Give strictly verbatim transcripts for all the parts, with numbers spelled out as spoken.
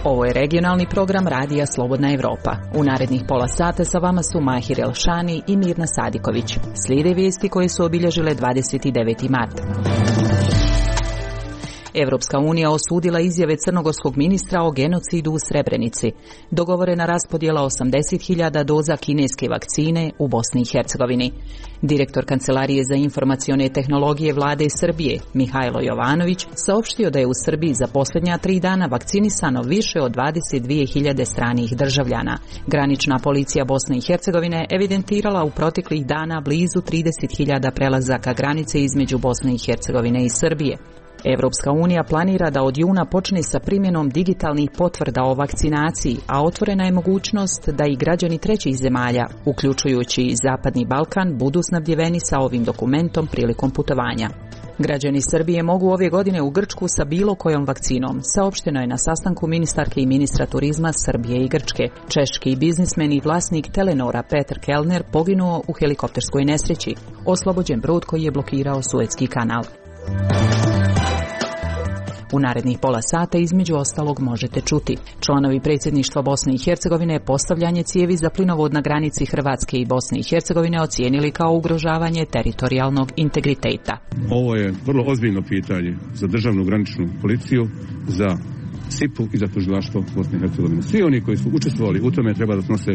Ovo je regionalni program Radija Slobodna Evropa. U narednih pola sata sa vama su Mahir Elšani i Mirna Sadiković. Slijede vijesti koje su obilježile dvadeset deveti mart. Evropska unija osudila izjave crnogorskog ministra o genocidu u Srebrenici. Dogovorena raspodjela osamdeset hiljada doza kineske vakcine u Bosni i Hercegovini. Direktor Kancelarije za informacione tehnologije vlade Srbije, Mihajlo Jovanović, saopštio da je u Srbiji za posljednja tri dana vakcinisano više od dvadeset dvije hiljade stranih državljana. Granična policija Bosne i Hercegovine evidentirala u proteklih dana blizu trideset hiljada prelazaka granice između Bosne i Hercegovine i Srbije. Evropska unija planira da od juna počne sa primjenom digitalnih potvrda o vakcinaciji, a otvorena je mogućnost da i građani trećih zemalja, uključujući i Zapadni Balkan, budu snabdjeveni sa ovim dokumentom prilikom putovanja. Građani Srbije mogu ove godine u Grčku sa bilo kojom vakcinom, saopšteno je na sastanku ministarke i ministra turizma Srbije i Grčke. Češki biznismen i vlasnik Telenora Peter Kellner poginuo u helikopterskoj nesreći, oslobođen brod koji je blokirao Suetski kanal. U narednih pola sata između ostalog možete čuti: članovi predsjedništva Bosne i Hercegovine postavljanje cijevi za plinovod na granici Hrvatske i Bosne i Hercegovine ocijenili kao ugrožavanje teritorijalnog integriteta. Ovo je vrlo ozbiljno pitanje za državnu graničnu policiju, za S I P-u i za tužilaštvo Bosne i Hercegovine. Svi oni koji su učestvovali u tome treba da snose,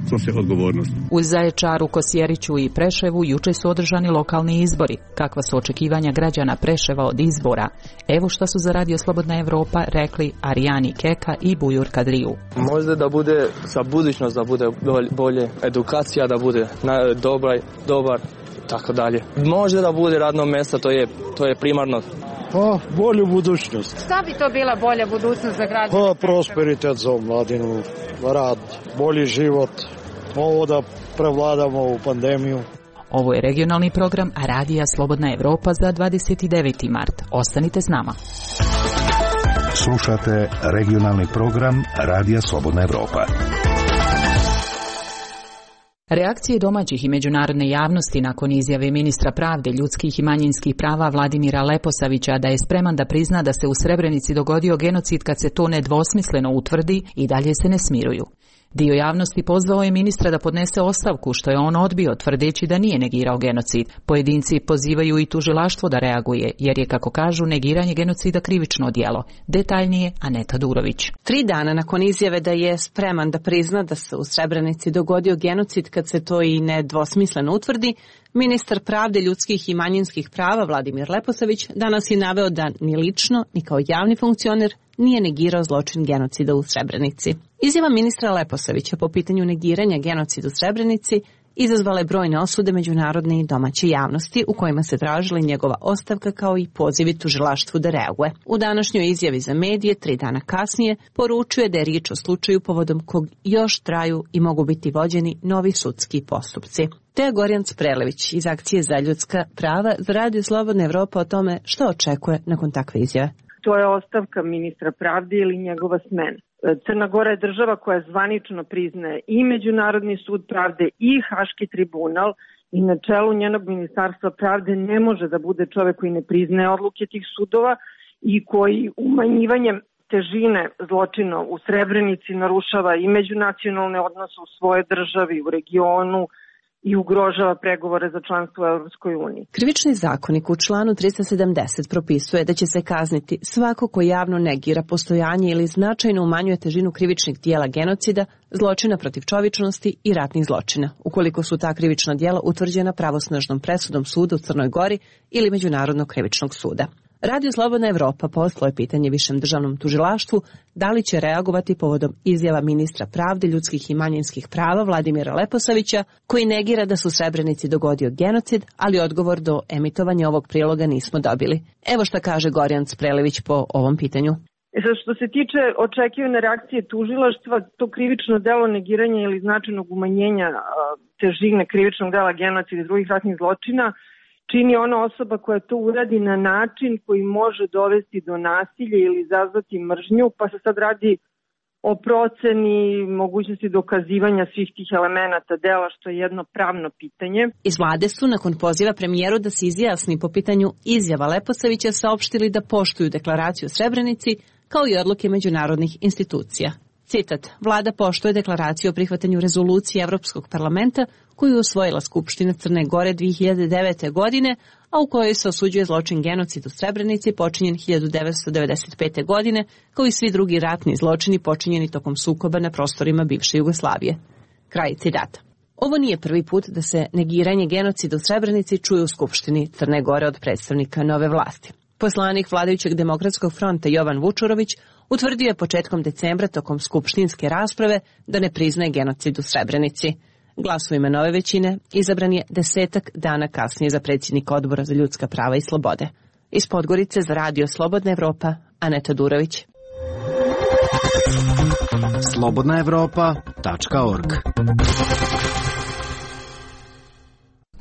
snose odgovornost. U Zaječaru, Kosjeriću i Preševu juče su održani lokalni izbori. Kakva su očekivanja građana Preševa od izbora? Evo što su za Radio Slobodna Evropa rekli Arijani Keka i Bujur Kadriju. Možda da bude za budućnost, da bude bolje edukacija, da bude dobar, dobar, tako dalje. Možda da bude radno mjesto, to je, to je primarno. Pa, bolju budućnost. Šta bi to bila bolja budućnost za građane? Pa, prosperitet za omladinu, rad, bolji život, ovo da prevladamo u pandemiju. Ovo je regionalni program Radija Slobodna Evropa za dvadeset deveti mart. Ostanite s nama. Slušate regionalni program Radija Slobodna Evropa. Reakcije domaćih i međunarodne javnosti nakon izjave ministra pravde, ljudskih i manjinskih prava Vladimira Leposavića da je spreman da prizna da se u Srebrenici dogodio genocid kad se to nedvosmisleno utvrdi, i dalje se ne smiruju. Dio javnosti pozvao je ministra da podnese ostavku, što je on odbio, tvrdeći da nije negirao genocid. Pojedinci pozivaju i tužilaštvo da reaguje, jer je, kako kažu, negiranje genocida krivično djelo. Detaljnije Aneta Durović. Tri dana nakon izjave da je spreman da prizna da se u Srebrenici dogodio genocid kad se to i nedvosmisleno utvrdi, ministar pravde, ljudskih i manjinskih prava Vladimir Leposavić danas je naveo da ni lično, ni kao javni funkcioner nije negirao zločin genocida u Srebrenici. Izjava ministra Leposavića po pitanju negiranja genocida u Srebrenici izazvala je brojne osude međunarodne i domaće javnosti, u kojima se tražila njegova ostavka kao i pozivi tužilaštvu da reaguje. U današnjoj izjavi za medije, tri dana kasnije, poručuje da je riječ o slučaju povodom kog još traju i mogu biti vođeni novi sudski postupci. Teja Gorjanc-Prelević iz Akcije za ljudska prava za Radio Slobodna Evropa o tome što očekuje nakon takve izjave. To je ostavka ministra pravde ili njegova smena. Crna Gora je država koja zvanično priznaje i Međunarodni sud pravde i Haški tribunal, i na čelu njenog ministarstva pravde ne može da bude čovjek koji ne priznaje odluke tih sudova i koji umanjivanjem težine zločina u Srebrenici narušava i međunacionalne odnose u svojoj državi, u regionu, i ugrožava pregovore za članstvo u Europskoj uniji. Krivični zakonik u članu trista sedamdeset propisuje da će se kazniti svako ko javno negira postojanje ili značajno umanjuje težinu krivičnih dijela genocida, zločina protiv čovječnosti i ratnih zločina, ukoliko su ta krivična dijela utvrđena pravosnažnom presudom suda u Crnoj Gori ili Međunarodnog krivičnog suda. Radio Slobodna Evropa poslao je pitanje Višem državnom tužilaštvu da li će reagovati povodom izjava ministra pravde, ljudskih i manjinskih prava Vladimira Leposavića, koji negira da se u Srebrenici dogodio genocid, ali odgovor do emitovanja ovog priloga nismo dobili. Evo šta kaže Gorjanc-Prelević po ovom pitanju. E sad, što se tiče očekivane reakcije tužilaštva, to krivično delo negiranja ili značajnog umanjenja a, težine krivičnog dela genocida i drugih ratnih zločina čini ona osoba koja to uradi na način koji može dovesti do nasilja ili izazvati mržnju, pa se sad radi o proceni mogućnosti dokazivanja svih tih elemenata dela, što je jedno pravno pitanje. Iz vlade su, nakon poziva premijeru da se izjasni po pitanju izjava Leposavića, saopštili da poštuju deklaraciju o Srebrenici, kao i odluke međunarodnih institucija. Citat, vlada poštuje deklaraciju o prihvatanju rezolucije Evropskog parlamenta koju je usvojila Skupština Crne Gore dve hiljade devete. godine, a u kojoj se osuđuje zločin genocid u Srebrenici počinjen hiljadu devetsto devedeset pete. godine, kao i svi drugi ratni zločini počinjeni tokom sukoba na prostorima bivše Jugoslavije. Kraj citata. Ovo nije prvi put da se negiranje genocida u Srebrenici čuje u Skupštini Crne Gore od predstavnika nove vlasti. Poslanik vladajućeg Demokratskog fronta Jovan Vučurović utvrdio je početkom decembra tokom skupštinske rasprave da ne priznaje genocid u Srebrenici. Glasovima nove većine izabran je desetak dana kasnije za predsjednika Odbora za ljudska prava i slobode. Iz Podgorice za Radio Slobodna Evropa, Aneta Durović. slobodna evropa tačka org.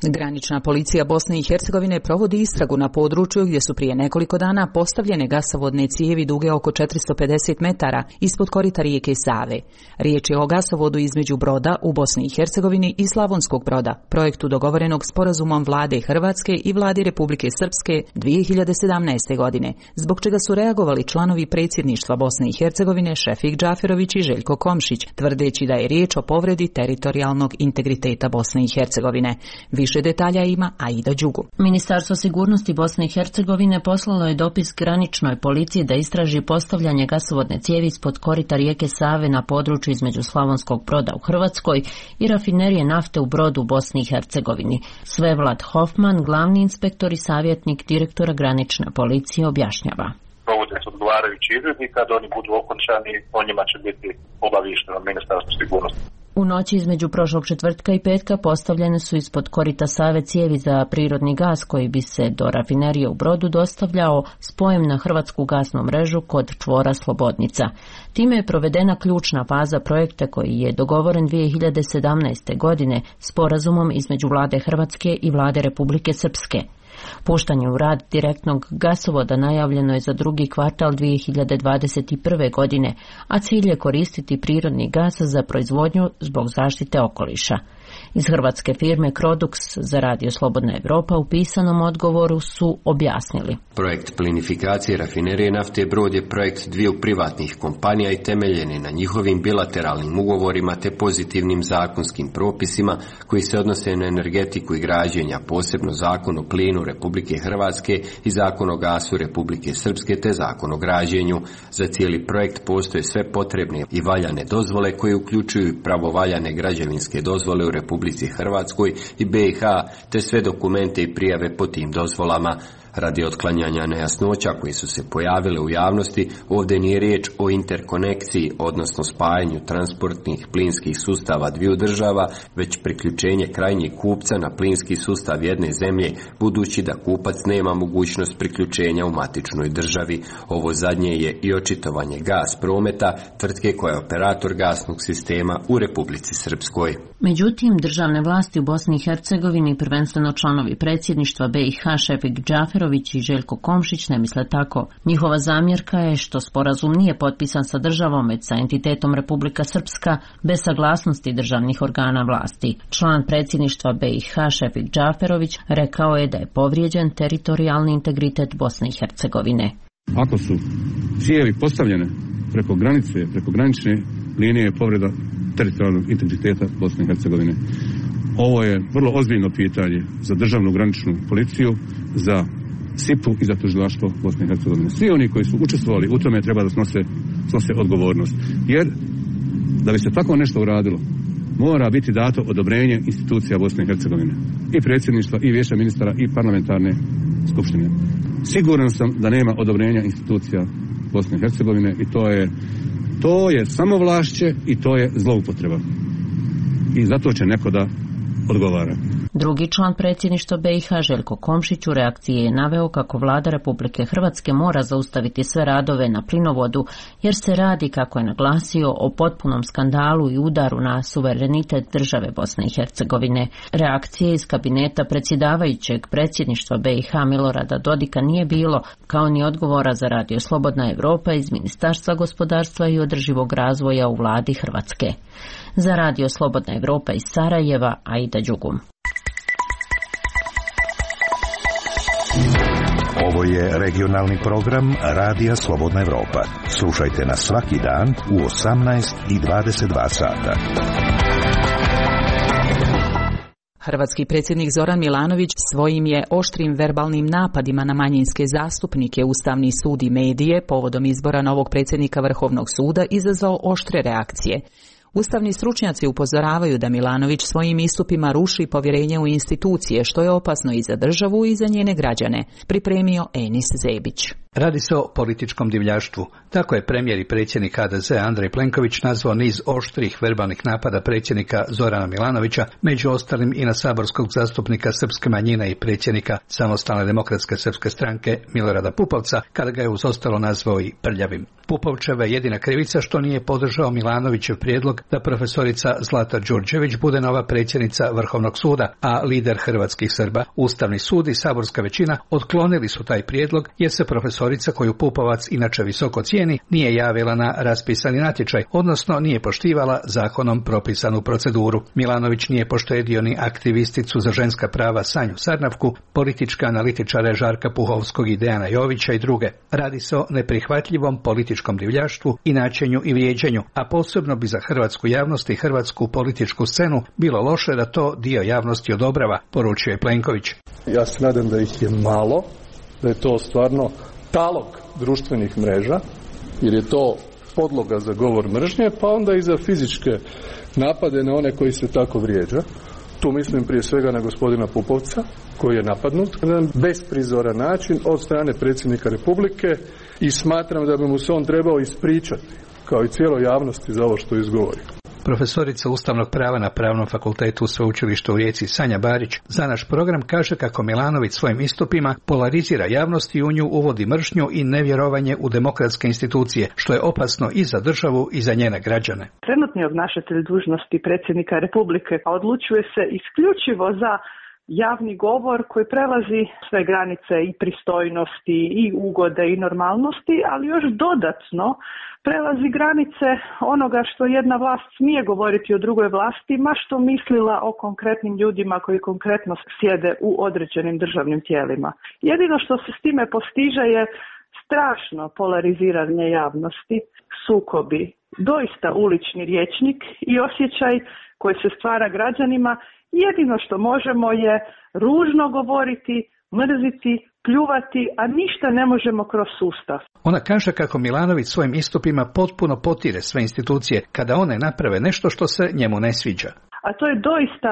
Granična policija Bosne i Hercegovine provodi istragu na području gdje su prije nekoliko dana postavljene gasovodne cijevi duge oko četiristo pedeset metara ispod korita rijeke Save. Riječ je o gasovodu između Broda u Bosni i Hercegovini i Slavonskog Broda, projektu dogovorenog sporazumom vlade Hrvatske i vladi Republike Srpske dvije hiljade sedamnaeste. godine, zbog čega su reagovali članovi predsjedništva Bosne i Hercegovine Šefik Džaferović i Željko Komšić, tvrdeći da je riječ o povredi teritorijalnog integriteta Bosne i Hercegovine. Više detalja ima Aida Đugu. Ministarstvo sigurnosti Bosne i Hercegovine poslalo je dopis graničnoj policiji da istraži postavljanje gasovodne cijevi ispod korita rijeke Save na području između Slavonskog Broda u Hrvatskoj i rafinerije nafte u Brodu u Bosni i Hercegovini. Svevlad Hofman, glavni inspektor i savjetnik direktora granične policije, objašnjava. Provode se odgovarajući izvidi, kad oni budu okončani, o njima će biti obaviješteno Ministarstvo sigurnosti. U noći između prošlog četvrtka i petka postavljene su ispod korita Save cijevi za prirodni gas koji bi se do rafinerije u Brodu dostavljao spojem na hrvatsku gasnu mrežu kod čvora Slobodnica. Time je provedena ključna faza projekta koji je dogovoren dvije hiljade sedamnaeste. godine sporazumom između vlade Hrvatske i vlade Republike Srpske. Puštanje u rad direktnog gasovoda najavljeno je za drugi kvartal dvije hiljade dvadeset prve. godine, a cilj je koristiti prirodni gas za proizvodnju zbog zaštite okoliša. Iz hrvatske firme Crodux za Radio Slobodna Evropa u pisanom odgovoru su objasnili. Projekt plinifikacije rafinerije nafte Brod je projekt dviju privatnih kompanija i temeljen je na njihovim bilateralnim ugovorima te pozitivnim zakonskim propisima koji se odnose na energetiku i građenja, posebno Zakon o plinu Republike Hrvatske i Zakon o gasu Republike Srpske te Zakon o građenju. Za cijeli projekt postoje sve potrebne i valjane dozvole koje uključuju pravovaljane građevinske dozvole u Republici Hrvatskoj i B i H te sve dokumente i prijave po tim dozvolama. Radi otklanjanja nejasnoća koji su se pojavile u javnosti, ovdje nije riječ o interkonekciji, odnosno spajanju transportnih plinskih sustava dviju država, već priključenje krajnjeg kupca na plinski sustav jedne zemlje, budući da kupac nema mogućnost priključenja u matičnoj državi. Ovo zadnje je i očitovanje Gas Prometa, tvrtke koja je operator gasnog sistema u Republici Srpskoj. Međutim, državne vlasti u Bosni i Hercegovini, prvenstveno članovi predsjedništva B i H Šefik Džaferović i Željko Komšić, ne misle tako. Njihova zamjerka je što sporazum nije potpisan sa državom, već sa entitetom Republika Srpska, bez saglasnosti državnih organa vlasti. Član predsjedništva B i H Šefik Džaferović rekao je da je povrijeđen teritorijalni integritet Bosne i Hercegovine. Ako su cijevi postavljene preko granice, preko granične linije, je povreda teritorijalnog integriteta Bosne i Hercegovine. Ovo je vrlo ozbiljno pitanje za državnu graničnu policiju, za S I P-u i za tužilaštvo Bosne i Hercegovine. Svi oni koji su učestvovali u tome treba da snose, snose odgovornost. Jer da bi se tako nešto uradilo, mora biti dato odobrenje institucija Bosne i Hercegovine. I predsjedništva, i vijeća ministara, i parlamentarne skupštine. Siguran sam da nema odobrenja institucija Bosne i Hercegovine i to je To je samovlašće i to je zloupotreba. I zato će neko da odgovara. Drugi član predsjedništva B i H Željko Komšić u reakciji je naveo kako vlada Republike Hrvatske mora zaustaviti sve radove na plinovodu, jer se radi, kako je naglasio, o potpunom skandalu i udaru na suverenitet države Bosne i Hercegovine. Reakcije iz kabineta predsjedavajućeg predsjedništva B i H Milorada Dodika nije bilo, kao ni odgovora za Radio Slobodna Evropa iz Ministarstva gospodarstva i održivog razvoja u vladi Hrvatske. Za Radio Slobodna Evropa iz Sarajeva, Aida Đugum. Ovo je regionalni program Radija Slobodna Evropa. Slušajte nas svaki dan u osamnaest i dvadeset dva sata. Hrvatski predsjednik Zoran Milanović svojim je oštrim verbalnim napadima na manjinske zastupnike, Ustavni sud i medije povodom izbora novog predsjednika Vrhovnog suda izazvao oštre reakcije. Ustavni stručnjaci upozoravaju da Milanović svojim istupima ruši povjerenje u institucije, što je opasno i za državu i za njene građane, pripremio Enis Zebić. Radi se o političkom divljaštvu. Tako je premijer i predsjednik H D Z Andrej Plenković nazvao niz oštrih verbalnih napada predsjednika Zorana Milanovića, među ostalim i na saborskog zastupnika srpske manjine i predsjednika Samostalne demokratske srpske stranke Milorada Pupovca, kada ga je uz ostalo nazvao i prljavim. Pupovčeva je jedina krivica što nije podržao Milanovićev prijedlog da profesorica Zlata Đurđević bude nova predsjednica Vrhovnog suda, a lider hrvatskih Srba, Ustavni sud i saborska većina otklonili su taj prijedlog jer se profesorica koju Pupovac inače visoko cijeni nije javila na raspisani natječaj, odnosno nije poštivala zakonom propisanu proceduru. Milanović nije poštedio ni aktivisticu za ženska prava Sanju Sarnavku, političke analitičare Žarka Puhovskog i Dejana Jovića i druge. Radi se o neprihvatljivom političkom divljaštvu i načinju i vrijeđanju, a posebno bi za hrvatsku javnost i hrvatsku političku scenu bilo loše da to dio javnosti odobrava, poručio je Plenković. Ja se nadam da ih je malo, da je to stvarno talog društvenih mreža, jer je to podloga za govor mržnje, pa onda i za fizičke napade na one koji se tako vrijeđa. Tu mislim prije svega na gospodina Pupovca, koji je napadnut na besprizoran način od strane predsjednika Republike i smatram da bi mu se on trebao ispričati, kao i cijeloj javnosti, za ovo što izgovori. Profesorica ustavnog prava na Pravnom fakultetu Sveučilišta u Rijeci Sanja Barić za naš program kaže kako Milanović svojim istupima polarizira javnost i u nju uvodi mržnju i nevjerovanje u demokratske institucije, što je opasno i za državu i za njene građane. Trenutni obnašatelj dužnosti predsjednika Republike odlučuje se isključivo za javni govor koji prelazi sve granice i pristojnosti i ugode i normalnosti, ali još dodatno prelazi granice onoga što jedna vlast smije govoriti o drugoj vlasti, ma što mislila o konkretnim ljudima koji konkretno sjede u određenim državnim tijelima. Jedino što se s time postiže je strašno polariziranje javnosti, sukobi, doista ulični rječnik i osjećaj koji se stvara građanima. Jedino što možemo je ružno govoriti, mrziti, pljuvati, a ništa ne možemo kroz sustav. Ona kaže kako Milanović svojim istupima potpuno potire sve institucije kada one naprave nešto što se njemu ne sviđa. A to je doista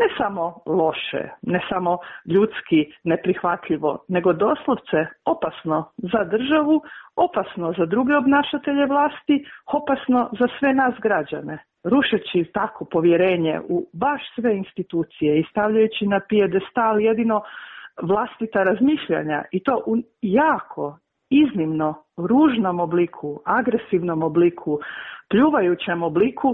ne samo loše, ne samo ljudski neprihvatljivo, nego doslovce opasno za državu, opasno za druge obnašatelje vlasti, opasno za sve nas građane. Rušeći tako povjerenje u baš sve institucije i stavljajući na pijedestal jedino vlastita razmišljanja i to u jako, iznimno ružnom obliku, agresivnom obliku, pljuvajućem obliku,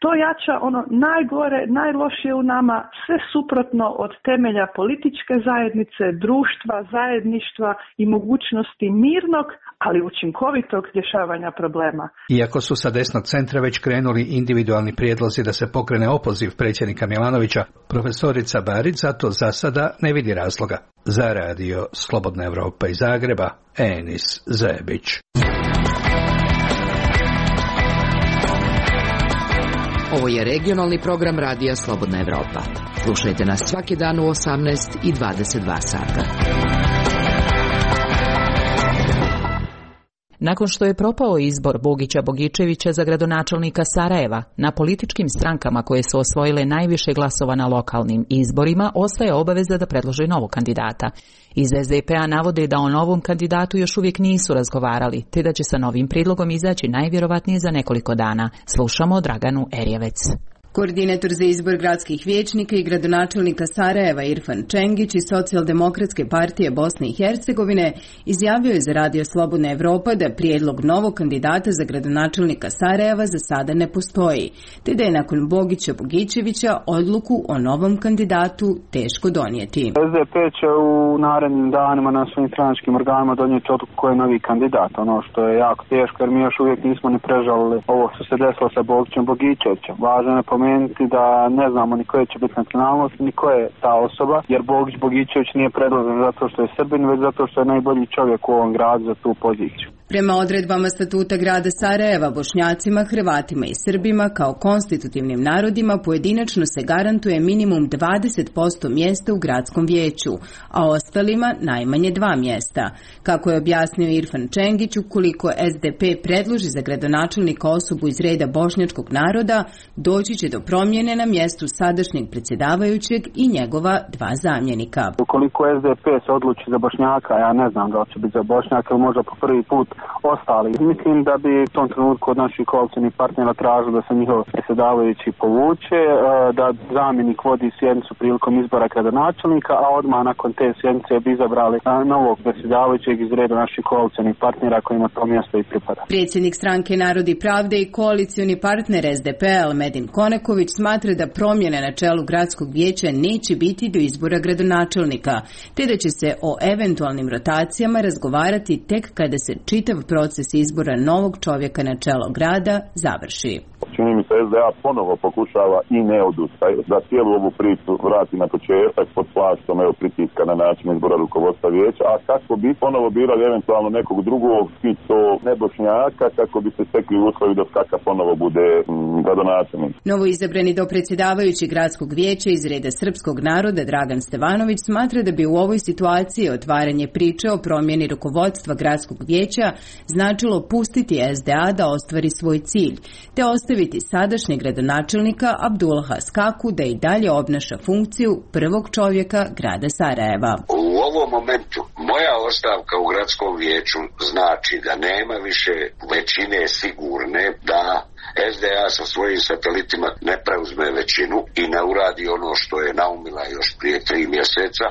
to jača ono najgore, najlošije u nama, sve suprotno od temelja političke zajednice, društva, zajedništva i mogućnosti mirnog, ali učinkovitog rješavanja problema. Iako su sa desnog centra već krenuli individualni prijedlozi da se pokrene opoziv predsjednika Milanovića, profesorica Barić zato za sada ne vidi razloga. Za radio Slobodna Evropa iz Zagreba, Enis Zebić. Ovo je regionalni program Radija Slobodna Evropa. Slušajte nas svaki dan u osamnaest i dvadeset dva sata. Nakon što je propao izbor Bogića Bogičevića za gradonačelnika Sarajeva, na političkim strankama koje su osvojile najviše glasova na lokalnim izborima ostaje obaveza da predlože novog kandidata. Iz es de pe a navode da o novom kandidatu još uvijek nisu razgovarali, te da će sa novim prijedlogom izaći najvjerovatnije za nekoliko dana. Slušamo Draganu Erjevec. Koordinator za izbor gradskih vijećnika i gradonačelnika Sarajeva Irfan Čengić iz Socijaldemokratske partije Bosne i Hercegovine izjavio je za Radio Slobodna Evropa da prijedlog novog kandidata za gradonačelnika Sarajeva za sada ne postoji, te da je nakon Bogića Bogičevića odluku o novom kandidatu teško donijeti. es de pe će u narednim danima na svim stranačkim organima donijeti odluku ko je novi kandidat, ono što je jako teško jer mi još uvijek nismo ni prežalili ovo što se desilo sa Bogićem Bogičevićem. Važno je spomenuti da ne znamo ni koje će biti nacionalnost, ni ko je ta osoba, jer Bogić Bogićević nije predložen zato što je Srbin, već zato što je najbolji čovjek u ovom gradu za tu poziciju. Prema odredbama statuta grada Sarajeva, Bošnjacima, Hrvatima i Srbima kao konstitutivnim narodima pojedinačno se garantuje minimum dvadeset posto mjesta u gradskom vijeću, a ostalima najmanje dva mjesta. Kako je objasnio Irfan Čengić, ukoliko S D P predloži za gradonačelnika osobu iz reda bošnjačkog naroda, doći će do promjene na mjestu sadašnjeg predsjedavajućeg i njegova dva zamjenika. Ukoliko S D P se odluči za Bošnjaka, ja ne znam da li će biti za Bošnjaka ili možda po prvi put ostali. Mislim da bi u tom trenutku od naših koalicijskih partnera tražili da se njihov predsjedavajući povuče, da zamjenik vodi sjednicu prilikom izbora gradonačelnika, a odmah nakon te sjednice bi izabrali novog predsjedavajućeg iz reda naših koalicijskih partnera kojima to mjesto i pripada. Predsjednik stranke Narod i pravde i koalicioni partner S D P Medin Koneković smatra da promjene na čelu gradskog vijeća neće biti do izbora gradonačelnika, te da će se o eventualnim rotacijama razgovarati tek kada se čitav proces izbora novog čovjeka na čelo grada završi. Čini mi se S D A ponovo pokušava i ne odustaje da cijelu ovu priču vrati na početak pod plaštom evo pritiska na način izbora rukovodstva vijeća, a kako bi ponovo birali eventualno nekog drugog i to ne Bošnjaka kako bi se stekli uslovi da Skaka ponovo bude gradonačelnik. Novo izabrani dopredsjedavajući gradskog vijeća iz reda srpskog naroda Dragan Stevanović smatra da bi u ovoj situaciji otvaranje priče o promjeni rukovodstva gradskog vijeća značilo pustiti S D A da ostvari svoj cilj, te ostaviti sadašnjeg gradonačelnika Abdullaha Skaku da i dalje obnaša funkciju prvog čovjeka grada Sarajeva. U ovom momentu moja ostavka u gradskom vijeću znači da nema više većine sigurne da S D A sa svojim satelitima ne preuzme većinu i ne uradi ono što je naumila još prije tri mjeseca.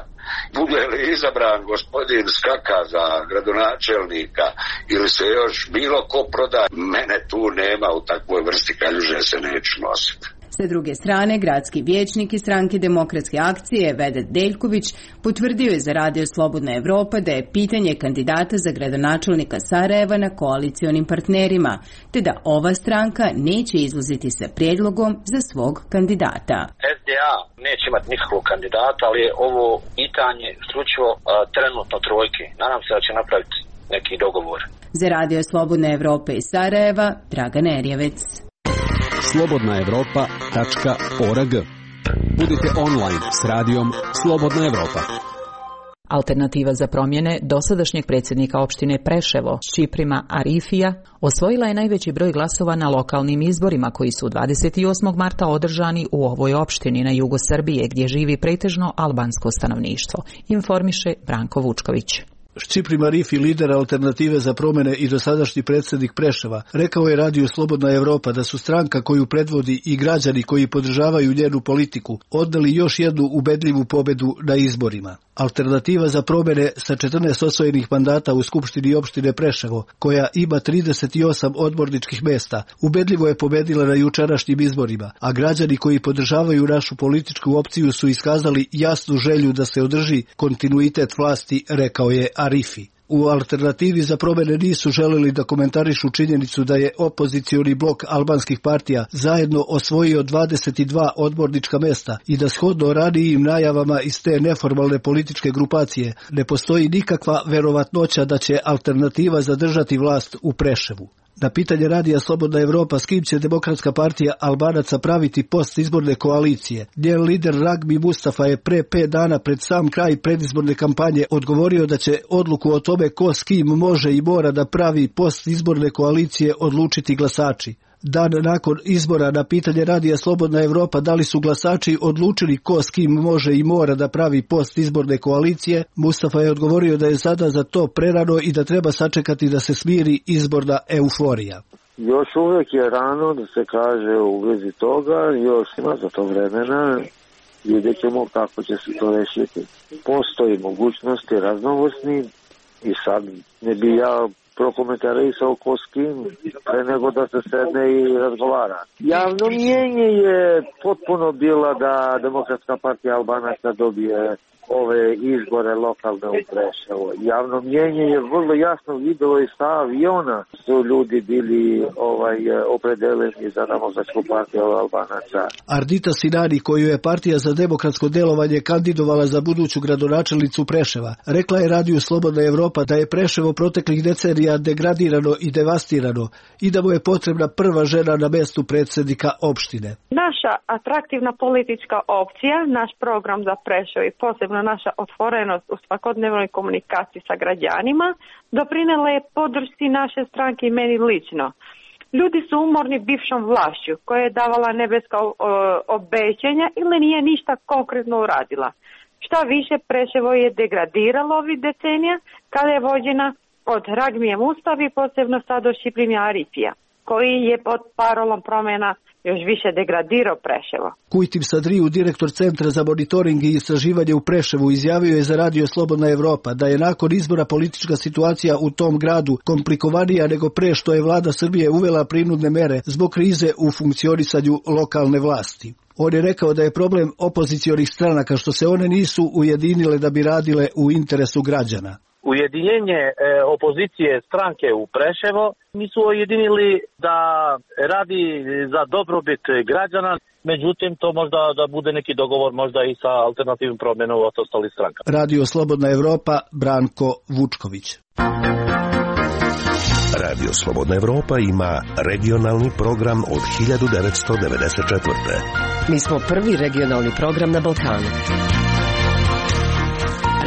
Bude li izabran gospodin Skaka za gradonačelnika ili se još bilo ko proda, mene tu nema, u takvoj vrsti kaljuže se neću nositi. Sa druge strane, gradski vijećnik iz stranke Demokratske akcije Vedat Deljković potvrdio je za Radio Slobodna Evropa da je pitanje kandidata za gradonačelnika Sarajeva na koalicionim partnerima, te da ova stranka neće izlaziti sa prijedlogom za svog kandidata. S D A neće imati nikakvog kandidata, ali je ovo pitanje isključivo trenutno trojke. Nadam se da će napraviti neki dogovor. Za Radio Slobodna Evropa iz Sarajeva, Dragana Erjevec. slobodna evropa tačka org. Budite online s radijom Slobodna Evropa. Alternativa za promjene dosadašnjeg predsjednika opštine Preševo, Ščiprima Arifija, osvojila je najveći broj glasova na lokalnim izborima koji su dvadeset osmog marta održani u ovoj opštini na jugu Srbije gdje živi pretežno albansko stanovništvo, informiše Branko Vučković. Ščiprim Arifi, lider Alternative za promjene i dosadašnji predsjednik Preševa, rekao je Radiju Slobodna Evropa da su stranka koju predvodi i građani koji podržavaju njenu politiku odneli još jednu ubedljivu pobedu na izborima. Alternativa za promjene sa četrnaest osvojenih mandata u Skupštini opštine Preševo, koja ima trideset osam odborničkih mjesta, ubedljivo je pobedila na jučerašnjim izborima, a građani koji podržavaju našu političku opciju su iskazali jasnu želju da se održi kontinuitet vlasti, rekao je Arifi. U Alternativi za promjene nisu želeli da komentarišu činjenicu da je opozicioni blok albanskih partija zajedno osvojio dvadeset dva odbornička mjesta i da shodno ranijim najavama iz te neformalne političke grupacije ne postoji nikakva verovatnoća da će Alternativa zadržati vlast u Preševu. Na pitanje Radija Slobodna Evropa s kim će Demokratska partija Albanaca praviti postizborne koalicije, njen lider Ragmi Mustafa je pre pet dana pred sam kraj predizborne kampanje odgovorio da će odluku o tome ko s kim može i mora da pravi postizborne koalicije odlučiti glasači. Dan nakon izbora na pitanje Radija Slobodna Evropa da li su glasači odlučili ko s kim može i mora da pravi postizborne koalicije, Mustafa je odgovorio da je sada za to prerano i da treba sačekati da se smiri izborna euforija. Još uvijek je rano da se kaže u vezi toga, još ima za to vremena, vidjet ćemo kako će se to rešiti. Postoji mogućnosti raznovrsni i sad ne bi ja prokomentarisao ko s kim, pre nego da se sedne i razgovara. Javno mnjenje je potpuno bilo da Demokratska partija Albanaca dobije ove izbore lokalne u Preševo. Javno mnjenje je vrlo jasno videlo i sa aviona su ljudi bili ovaj opredeljeni za Demokratsku partiju Albanaca. Ardita Sinani, koju je Partija za demokratsko delovanje kandidovala za buduću gradonačelnicu Preševa, rekla je Radiju Slobodna Evropa da je Preševo proteklih decenija degradirano i devastirano i da mu je potrebna prva žena na mestu predsjednika opštine. Naša atraktivna politička opcija, naš program za Preševo i posebno naša otvorenost u svakodnevnoj komunikaciji sa građanima doprinela je podršci naše stranke i meni lično. Ljudi su umorni bivšom vlašću koja je davala nebeska obećanja ili nije ništa konkretno uradila. Šta više, Preševo je degradiralo ovih decenija kada je vođena od Ragmije Mustavi, posebno sad do Šiprima Arifija, koji je pod parolom promjena još više degradirao Preševo. Kujtim Sadriju, direktor Centra za monitoring i istraživanje u Preševu, izjavio je za Radio Slobodna Evropa da je nakon izbora politička situacija u tom gradu komplikovanija nego pre što je vlada Srbije uvela prinudne mere zbog krize u funkcionisanju lokalne vlasti. On je rekao da je problem opozicionih stranaka što se one nisu ujedinile da bi radile u interesu građana. Ujedinjenje e, opozicije stranke u Preševo nisu ujedinili da radi za dobrobit građana, međutim to možda da bude neki dogovor možda i sa alternativnim promjenom od ostalih stranka. Radio Slobodna Evropa, Branko Vučković. Radio Slobodna Evropa ima regionalni program od hiljadu devetsto devedeset četvrte. Mi smo prvi regionalni program na Balkanu.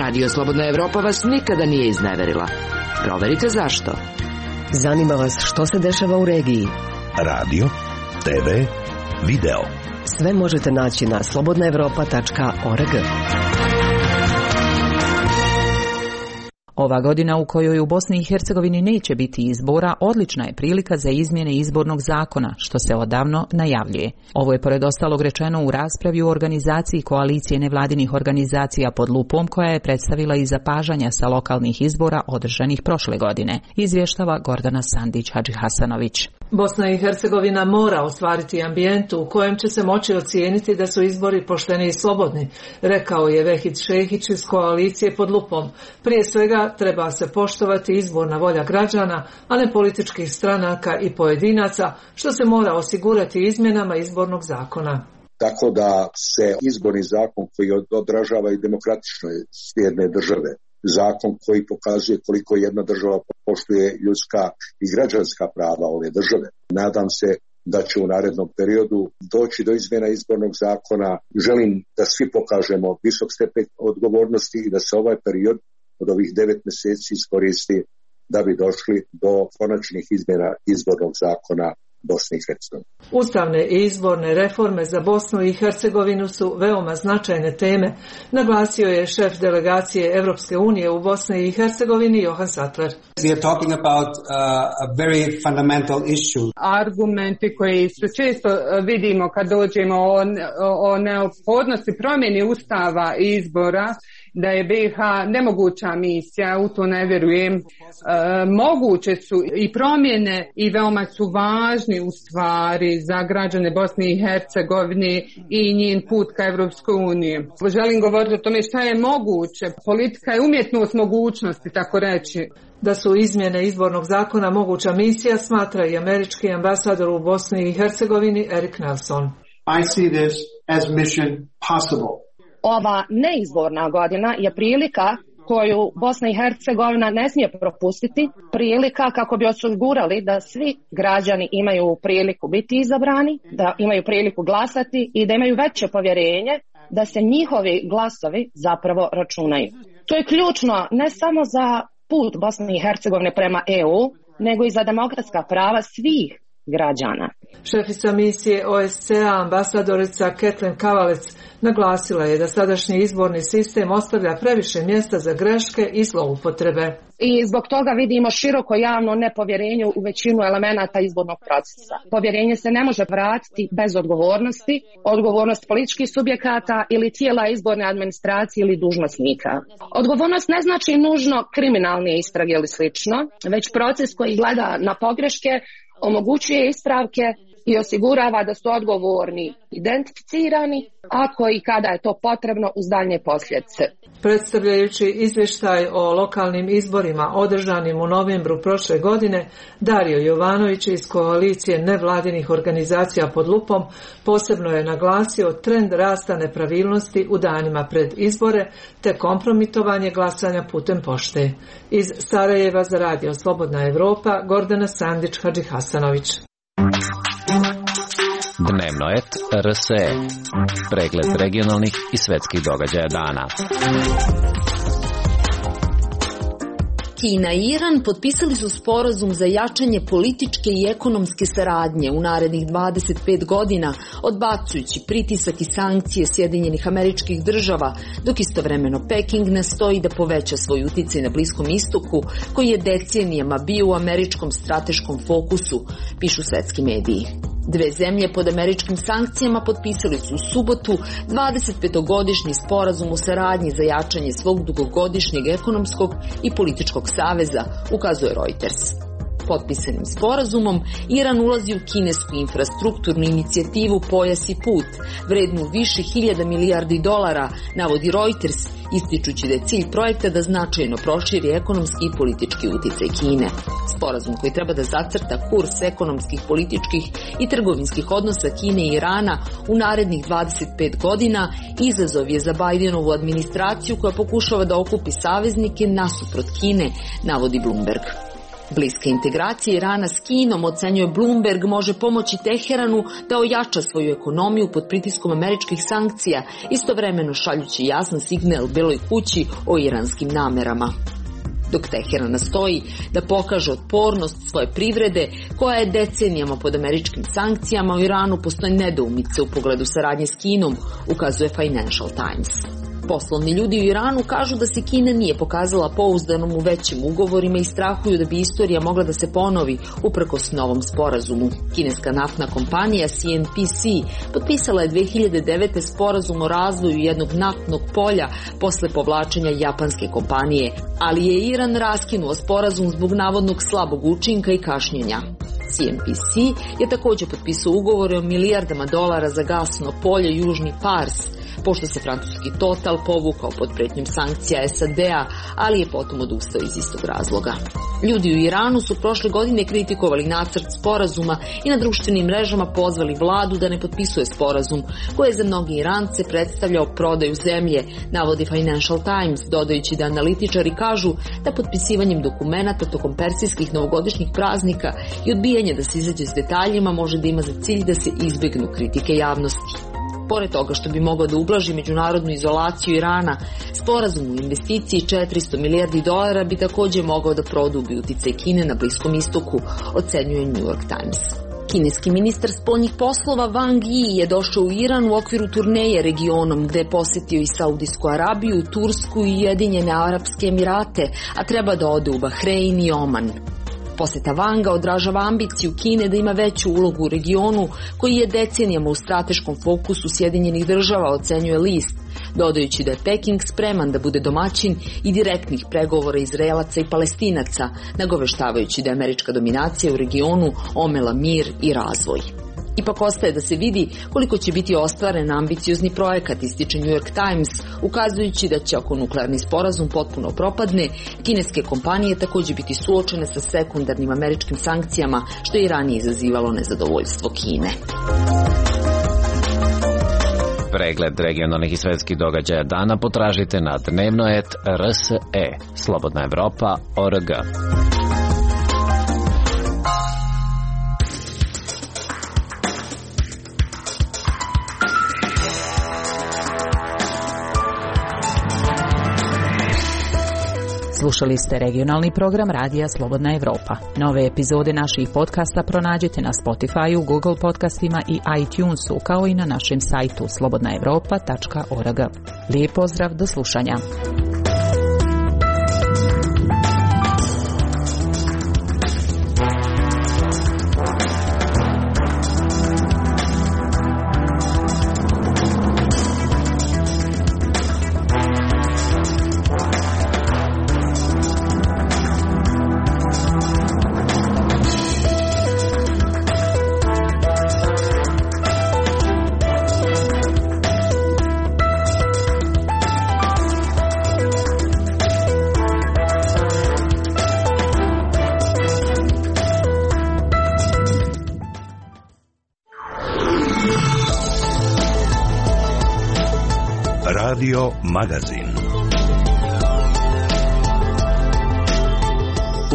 Radio Slobodna Evropa vas nikada nije izneverila. Proverite zašto. Zanima vas što se dešava u regiji. Radio, te ve, video. Sve možete naći na slobodna evropa tačka org. Ova godina u kojoj u Bosni i Hercegovini neće biti izbora odlična je prilika za izmjene izbornog zakona, što se odavno najavljuje. Ovo je pored ostalog rečeno u raspravi u organizaciji koalicije nevladinih organizacija pod lupom koja je predstavila i zapažanja sa lokalnih izbora održanih prošle godine, izvještava Gordana Sandić-Hadžihasanović. Bosna i Hercegovina mora ostvariti ambijent u kojem će se moći ocijeniti da su izbori pošteni i slobodni, rekao je Vehid Šehić iz koalicije pod lupom. Prije svega treba se poštovati izborna volja građana, a ne političkih stranaka i pojedinaca, što se mora osigurati izmjenama izbornog zakona. Tako da se izborni zakon koji odražava i demokratičnost jedne države, zakon koji pokazuje koliko jedna država poštuje ljudska i građanska prava ove države. Nadam se da će u narednom periodu doći do izmjena izbornog zakona. Želim da svi pokažemo visok stepen odgovornosti i da se ovaj period od ovih devet mjeseci iskoristi da bi došli do konačnih izmjena izbornog zakona Bosne i Hercegovine. Ustavne i izborne reforme za Bosnu i Hercegovinu su veoma značajne teme, naglasio je šef delegacije Evropske unije u Bosni i Hercegovini Johan Sattler. We are talking about uh, a very fundamental issue. Argumenti koji se često vidimo kad dođemo o, o neophodnosti promjene ustava i izbora, da je B i H nemoguća misija, u to ne vjerujem. E, moguće su i promjene i veoma su važni u stvari za građane Bosne i Hercegovine i njen put ka Evropskoj uniji. Želim govoriti o tome šta je moguće. Politika je umjetnost mogućnosti, tako reći. Da su izmjene izbornog zakona moguća misija, smatra i američki ambasador u Bosni i Hercegovini Erik Nelson. I see this as mission possible. Ova neizborna godina je prilika koju Bosna i Hercegovina ne smije propustiti, prilika kako bi osigurali da svi građani imaju priliku biti izabrani, da imaju priliku glasati i da imaju veće povjerenje da se njihovi glasovi zapravo računaju. To je ključno ne samo za put Bosne i Hercegovine prema E U, nego i za demokratska prava svih građana. Šefica misije O S C A ambasadorica Kathleen Kavalec naglasila je da sadašnji izborni sistem ostavlja previše mjesta za greške i zloupotrebe. I zbog toga vidimo široko javno nepovjerenje u većinu elemenata izbornog procesa. Povjerenje se ne može vratiti bez odgovornosti, odgovornost političkih subjekata ili tijela izborne administracije ili dužnosnika. Odgovornost ne znači nužno kriminalne istrage ili slično, već proces koji gleda na pogreške, omogućuje ispravke i osigurava da su odgovorni identificirani, ako i kada je to potrebno uz daljnje posljedice. Predstavljajući izvještaj o lokalnim izborima održanim u novembru prošle godine, Dario Jovanović iz koalicije nevladinih organizacija pod lupom posebno je naglasio trend rasta nepravilnosti u danima pred izbore te kompromitovanje glasanja putem pošte. Iz Sarajeva za Radio Slobodna Evropa, Gordana Sandić-Hadžihasanović. Dnevno et R S E. Pregled regionalnih i svetskih događaja dana. Kina i Iran potpisali su sporazum za jačanje političke i ekonomske saradnje u narednih dvadeset pet godina, odbacujući pritisak i sankcije Sjedinjenih Američkih Država, dok istovremeno Peking nastoji da poveća svoj uticaj na Bliskom istoku, koji je decenijama bio u američkom strateškom fokusu, pišu svetski mediji. Dve zemlje pod američkim sankcijama potpisali su u subotu dvadesetpetogodišnji sporazum o saradnji za jačanje svog dugogodišnjeg ekonomskog i političkog saveza, ukazuje Reuters. Potpisanim sporazumom Iran ulazi u kinesku infrastrukturnu inicijativu Pojas i put, vrednu više hiljada milijardi dolara, navodi Reuters, ističući da je cilj projekta da značajno proširi ekonomski i politički uticaj Kine. Sporazum koji treba da zacrta kurs ekonomskih, političkih i trgovinskih odnosa Kine i Irana u narednih dvadeset pet godina izazov je za Bidenovu administraciju koja pokušava da okupi saveznike nasuprot Kine, navodi Bloomberg. Bliska integracija Irana s Kinom, ocenjuje Bloomberg, može pomoći Teheranu da ojača svoju ekonomiju pod pritiskom američkih sankcija, istovremeno šaljući jasan signal Beloj kući o iranskim namerama. Dok Teheran nastoji da pokaže otpornost svoje privrede, koja je decenijama pod američkim sankcijama, u Iranu postoje nedoumice u pogledu saradnje s Kinom, ukazuje Financial Times. Poslovni ljudi u Iranu kažu da se Kina nije pokazala pouzdanom u većim ugovorima i strahuju da bi istorija mogla da se ponovi uprkos novom sporazumu. Kineska naftna kompanija C N P C potpisala je dve hiljade devete. sporazum o razvoju jednog naftnog polja posle povlačenja japanske kompanije, ali je Iran raskinuo sporazum zbog navodnog slabog učinka i kašnjenja. C N P C je također potpisao ugovore o milijardama dolara za gasno polje Južni Pars, pošto se francuski Total povukao pod pretnjom sankcija S A D-a, ali je potom odustao iz istog razloga. Ljudi u Iranu su prošle godine kritikovali nacrt sporazuma i na društvenim mrežama pozvali vladu da ne potpisuje sporazum, koji je za mnogi Irance predstavljao prodaju zemlje, navodi Financial Times, dodajući da analitičari kažu da potpisivanjem dokumenata tokom persijskih novogodišnjih praznika i odbijanje da se izađe s detaljima može da ima za cilj da se izbjegnu kritike javnosti. Pored toga što bi mogao da ublaži međunarodnu izolaciju Irana, sporazum u investiciji četiristo milijardi dolara bi također mogao da produbi uticaj Kine na Bliskom istoku, ocenjuje New York Times. Kineski ministar spoljnih poslova Wang Yi je došao u Iran u okviru turneje regionom, gde je posjetio i Saudijsku Arabiju, Tursku i Ujedinjene Arapske Emirate, a treba da ode u Bahrein i Oman. Posjeta Vanga odražava ambiciju Kine da ima veću ulogu u regionu, koji je decenijama u strateškom fokusu Sjedinjenih Država, ocenjuje list, dodajući da je Peking spreman da bude domaćin i direktnih pregovora Izraelaca i Palestinaca, nagoveštavajući da je američka dominacija u regionu omela mir i razvoj. Ipak ostaje da se vidi koliko će biti ostvaren ambiciozni projekat, ističe New York Times, ukazujući da će, ako nuklearni sporazum potpuno propadne, kineske kompanije također biti suočene sa sekundarnim američkim sankcijama, što je i ranije izazivalo nezadovoljstvo Kine. Pregled regionalnih i svetskih događaja dana potražite na dnevno et R S E, Slobodna Evropa, O R G. Slušali ste regionalni program Radija Slobodna Evropa. Nove epizode naših podcasta pronađite na Spotify, Google podcastima i iTunesu, kao i na našem sajtu slobodna evropa tačka org. Lijep pozdrav, do slušanja. Radio Magazin.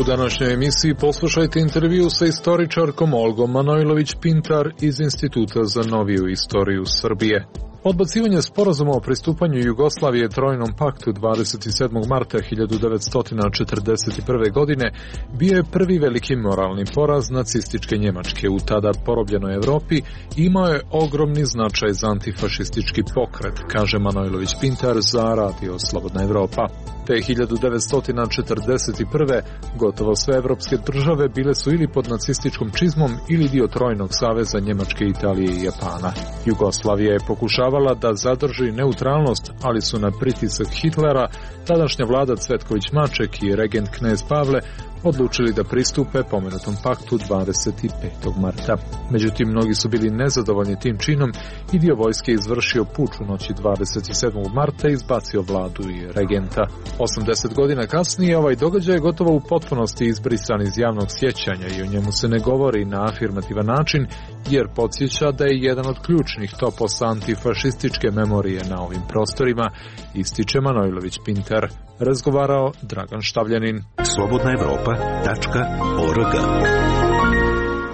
U današnjoj emisiji poslušajte intervju sa istoričarkom Olgom Manojlović-Pintar iz Instituta za noviju istoriju Srbije. Odbacivanje sporazuma o pristupanju Jugoslavije Trojnom paktu dvadeset sedmog marta hiljadu devetsto četrdeset prve. godine bio je prvi veliki moralni poraz nacističke Njemačke u tada porobljenoj Evropi i imao je ogromni značaj za antifašistički pokret, kaže Manojlović-Pintar za Radio Slobodna Evropa. Te hiljadu devetsto četrdeset prve. gotovo sve evropske države bile su ili pod nacističkom čizmom ili dio Trojnog saveza Njemačke, Italije i Japana. Jugoslavija je pokušavala da zadrži neutralnost, ali su na pritisak Hitlera tadašnja vlada Cvetković-Maček i regent knez Pavle odlučili da pristupe pomenutom paktu dvadeset petog marta. Međutim, mnogi su bili nezadovoljni tim činom i dio vojske izvršio puč u noći dvadeset sedmog marta i izbacio vladu i regenta. osamdeset godina kasnije ovaj događaj je gotovo u potpunosti izbrisan iz javnog sjećanja i o njemu se ne govori na afirmativan način, jer podsjeća da je jedan od ključnih toposa antifašističke memorije na ovim prostorima, ističe Manojlović-Pintar. Razgovarao Dragan Štavljanin. slobodna evropa tačka org.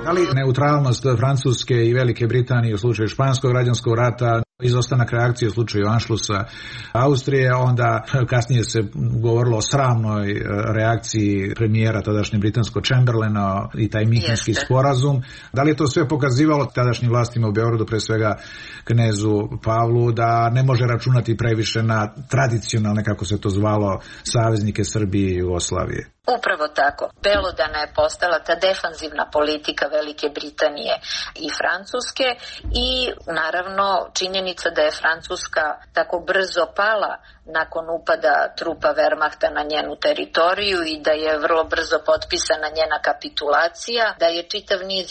Da li neutralnost Francuske i Velike Britanije u slučaju Španskog građanskog rata, izostanak reakcije u slučaju Anšlusa Austrije, onda kasnije se govorilo o sramnoj reakciji premijera tadašnje britansko Chamberlaina i taj Minhenski sporazum. Da li je to sve pokazivalo tadašnjim vlastima u Beogradu, pre svega knezu Pavlu, da ne može računati previše na tradicionalne, kako se to zvalo, saveznike Srbije i Jugoslavije? Upravo tako. Belodana je postala ta defanzivna politika Velike Britanije i Francuske i naravno činjenica da je Francuska tako brzo pala nakon upada trupa Wehrmachta na njenu teritoriju i da je vrlo brzo potpisana njena kapitulacija, da je čitav niz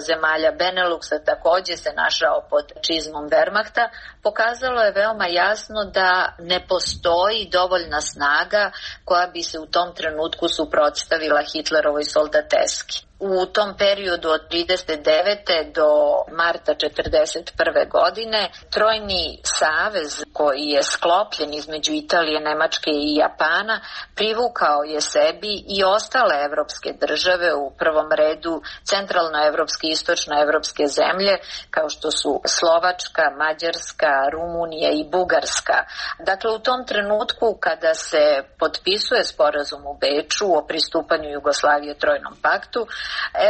zemalja Beneluxa takođe se našao pod čizmom Wehrmachta, pokazalo je veoma jasno da ne postoji dovoljna snaga koja bi se u tom trenutku suprotstavila Hitlerovoj soldateski. U tom periodu od trideset devete do marta četrdeset prve. godine Trojni savez koji je sklopljen između Italije, Nemačke i Japana privukao je sebi i ostale evropske države, u prvom redu centralnoevropske i istočnoevropske zemlje kao što su Slovačka, Mađarska, Rumunija i Bugarska. Dakle, u tom trenutku kada se potpisuje sporazum u Beču o pristupanju Jugoslavije Trojnom paktu,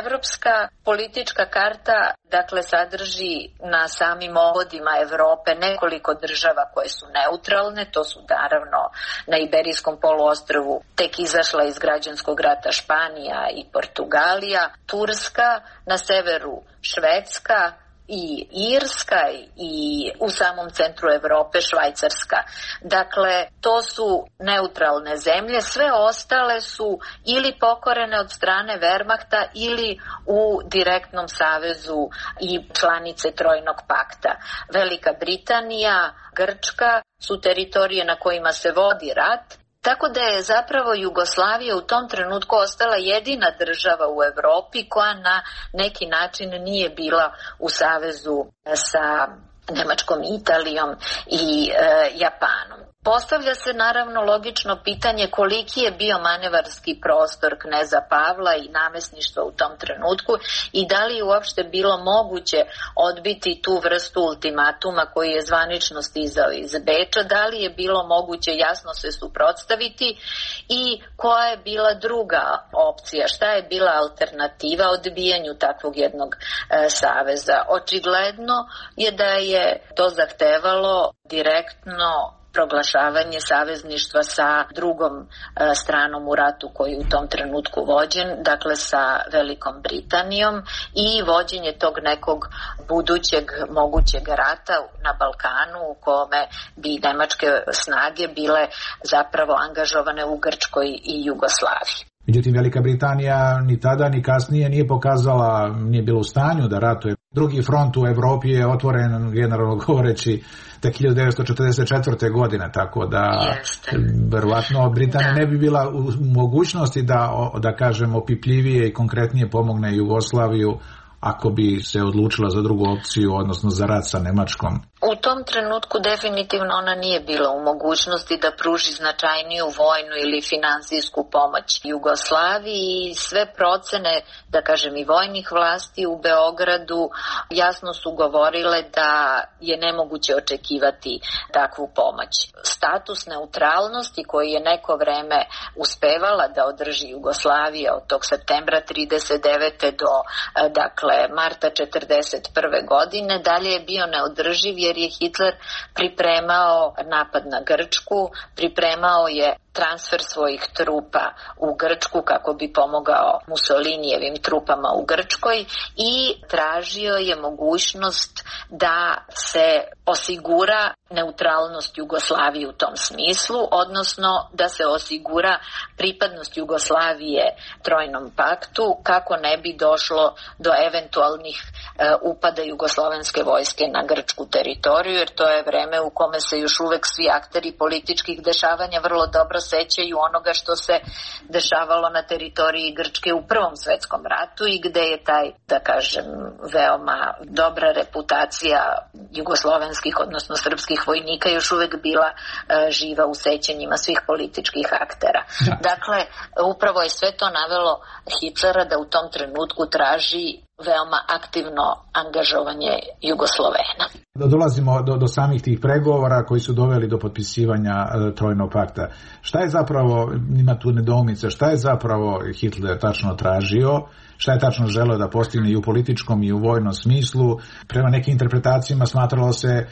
evropska politička karta dakle sadrži na samim obodima Evrope nekoliko država koje su neutralne, to su naravno na Iberijskom poluostrvu tek izašla iz građanskog rata Španija i Portugalija, Turska, na severu Švedska i Irska i u samom centru Evrope Švajcarska. Dakle, to su neutralne zemlje, sve ostale su ili pokorene od strane Wehrmachta ili u direktnom savezu i članice Trojnog pakta. Velika Britanija, Grčka su teritorije na kojima se vodi rat, tako da je zapravo Jugoslavija u tom trenutku ostala jedina država u Evropi koja na neki način nije bila u savezu sa Nemačkom, Italijom i e, Japanom. Postavlja se naravno logično pitanje koliki je bio manevarski prostor kneza Pavla i namesništva u tom trenutku i da li je uopšte bilo moguće odbiti tu vrstu ultimatuma koji je zvanično stizao iz Beča, da li je bilo moguće jasno se suprotstaviti i koja je bila druga opcija, šta je bila alternativa odbijanju takvog jednog e, saveza. Očigledno je da je to zahtevalo direktno proglašavanje savezništva sa drugom e, stranom u ratu koji je u tom trenutku vođen, dakle sa Velikom Britanijom i vođenje tog nekog budućeg mogućeg rata na Balkanu u kome bi nemačke snage bile zapravo angažovane u Grčkoj i Jugoslaviji. Međutim, Velika Britanija ni tada ni kasnije nije pokazala, nije bila u stanju da ratuje. Drugi front u Evropi je otvoren, generalno govoreći, tek hiljadu devetsto četrdeset četvrte. godine, tako da verovatno Britanija ne bi bila u mogućnosti da, da kažem, opipljivije i konkretnije pomogne Jugoslaviju ako bi se odlučila za drugu opciju, odnosno za rat sa Nemačkom. U tom trenutku definitivno ona nije bila u mogućnosti da pruži značajniju vojnu ili finansijsku pomoć Jugoslaviji i sve procene, da kažem i vojnih vlasti u Beogradu jasno su govorile da je nemoguće očekivati takvu pomoć. Status neutralnosti koji je neko vreme uspevala da održi Jugoslavija od tog septembra trideset devete do dakle marta četrdeset prve. godine dalje je bio neodrživ jer je Hitler pripremao napad na Grčku, pripremao je transfer svojih trupa u Grčku kako bi pomogao Mussolinijevim trupama u Grčkoj i tražio je mogućnost da se osigura neutralnost Jugoslavije u tom smislu, odnosno da se osigura pripadnost Jugoslavije Trojnom paktu kako ne bi došlo do eventualnih e, upada jugoslovenske vojske na grčku teritoriju, jer to je vreme u kome se još uvek svi akteri političkih dešavanja vrlo dobro sećaju onoga što se dešavalo na teritoriji Grčke u Prvom svetskom ratu i gde je taj, da kažem, veoma dobra reputacija jugoslovenskih, odnosno srpskih vojnika još uvek bila e, živa u sećanjima svih političkih aktera. Da. Dakle, upravo je sve to navelo Hitlera da u tom trenutku traži veoma aktivno angažovanje Jugoslovena. Dolazimo do, do samih tih pregovora koji su doveli do potpisivanja e, Trojnog pakta. Šta je zapravo, ima tu nedoumice, šta je zapravo Hitler tačno tražio, šta je tačno želeo da postigne i u političkom i u vojnom smislu? Prema nekim interpretacijama smatralo se e,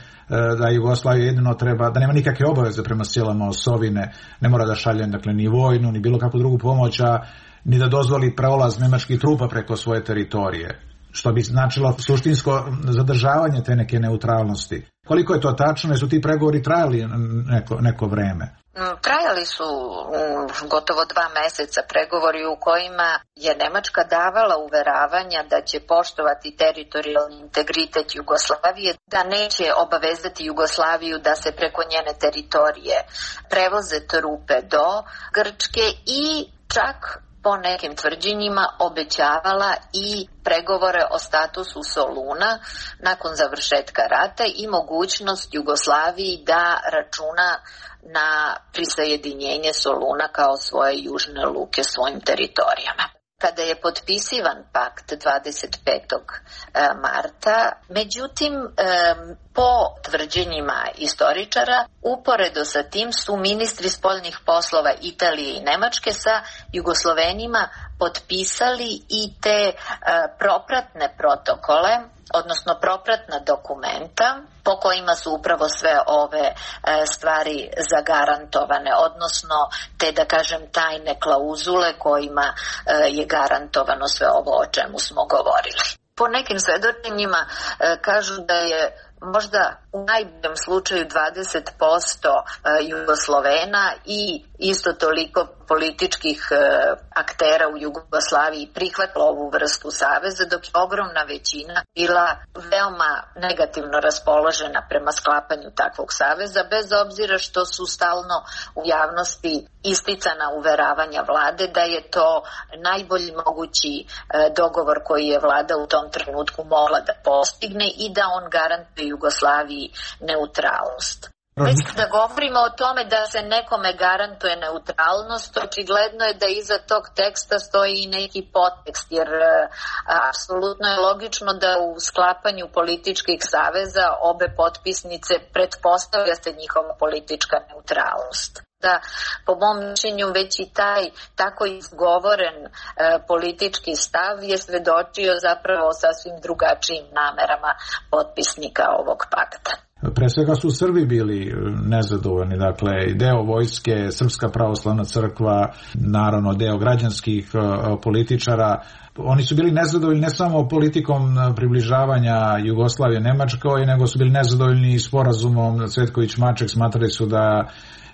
da Jugoslavija jedino treba, da nema nikakve obaveze prema silama osovine, ne mora da šalje dakle, ni vojnu, ni bilo kakvu drugu pomoć, a ni da dozvoli prolaz nemačkih trupa preko svoje teritorije, što bi značilo suštinsko zadržavanje te neke neutralnosti. Koliko je to tačno, jer su ti pregovori trajali neko, neko vreme? Trajali su gotovo dva meseca pregovori u kojima je Nemačka davala uveravanja da će poštovati teritorijalni integritet Jugoslavije, da neće obavezati Jugoslaviju da se preko njene teritorije prevoze trupe do Grčke i čak po nekim tvrđenjima obećavala i pregovore o statusu Soluna nakon završetka rata i mogućnost Jugoslaviji da računa na prisajedinjenje Soluna kao svoje južne luke svojim teritorijama. Kada je potpisivan pakt dvadeset petog marta, međutim, po tvrđenjima istoričara, uporedo sa tim su ministri spoljnih poslova Italije i Nemačke sa Jugoslovenima potpisali i te propratne protokole, odnosno propratna dokumenta po kojima su upravo sve ove e, stvari zagarantovane, odnosno te, da kažem, tajne klauzule kojima e, je garantovano sve ovo o čemu smo govorili. Po nekim svedočenjima e, kažu da je možda u najboljem slučaju dvadeset posto Jugoslovena i isto toliko političkih aktera u Jugoslaviji prihvatila ovu vrstu saveza, dok je ogromna većina bila veoma negativno raspoložena prema sklapanju takvog saveza, bez obzira što su stalno u javnosti isticana uveravanja vlade da je to najbolji mogući dogovor koji je vlada u tom trenutku mogla da postigne i da on garantuje Jugoslaviji neutralnost. Već da govorimo o tome da se nekome garantuje neutralnost, očigledno je da iza tog teksta stoji i neki podtekst, jer apsolutno je logično da u sklapanju političkih saveza obe potpisnice pretpostavlja se njihova politička neutralnost. Da, po mom mišljenju, već i taj tako izgovoren e, politički stav je svedočio zapravo sasvim drugačijim namerama potpisnika ovog pakta. Pre svega su Srbi bili nezadovoljni, dakle deo vojske, Srpska pravoslavna crkva, naravno deo građanskih političara. Oni su bili nezadovoljni ne samo politikom približavanja Jugoslavije Nemačkoj, nego su bili nezadovoljni i sporazumom Cvetković-Maček, smatrali su da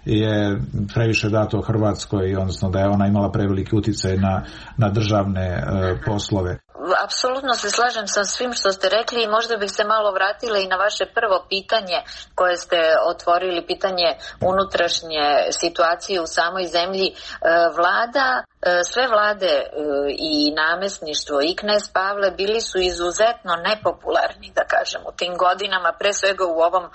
je previše dato Hrvatskoj, odnosno da je ona imala preveliki uticaj na, na državne e, poslove. Apsolutno se slažem sa svim što ste rekli i možda bih se malo vratila i na vaše prvo pitanje koje ste otvorili, pitanje unutrašnje situacije u samoj zemlji. Vlada, sve vlade i namesništvo i knez Pavle bili su izuzetno nepopularni, da kažem, u tim godinama, pre svega u ovom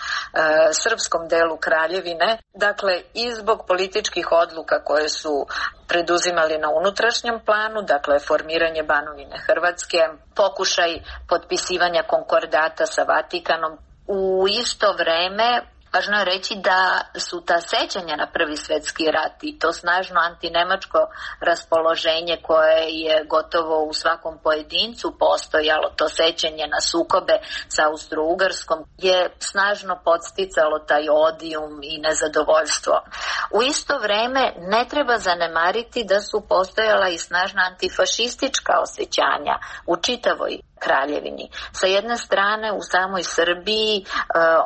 srpskom delu Kraljevine. Dakle, i zbog političkih odluka koje su preduzimali na unutrašnjem planu, dakle formiranje Banovine Hrvatske, pokušaj potpisivanja konkordata sa Vatikanom. U isto vreme važno je reći da su ta sećanja na Prvi svetski rat i to snažno antinemačko raspoloženje koje je gotovo u svakom pojedincu postojalo, to sećanje na sukobe sa Austro-Ugarskom, je snažno podsticalo taj odijum i nezadovoljstvo. U isto vreme ne treba zanemariti da su postojala i snažna antifašistička osjećanja u čitavoj Kraljevini. Sa jedne strane u samoj Srbiji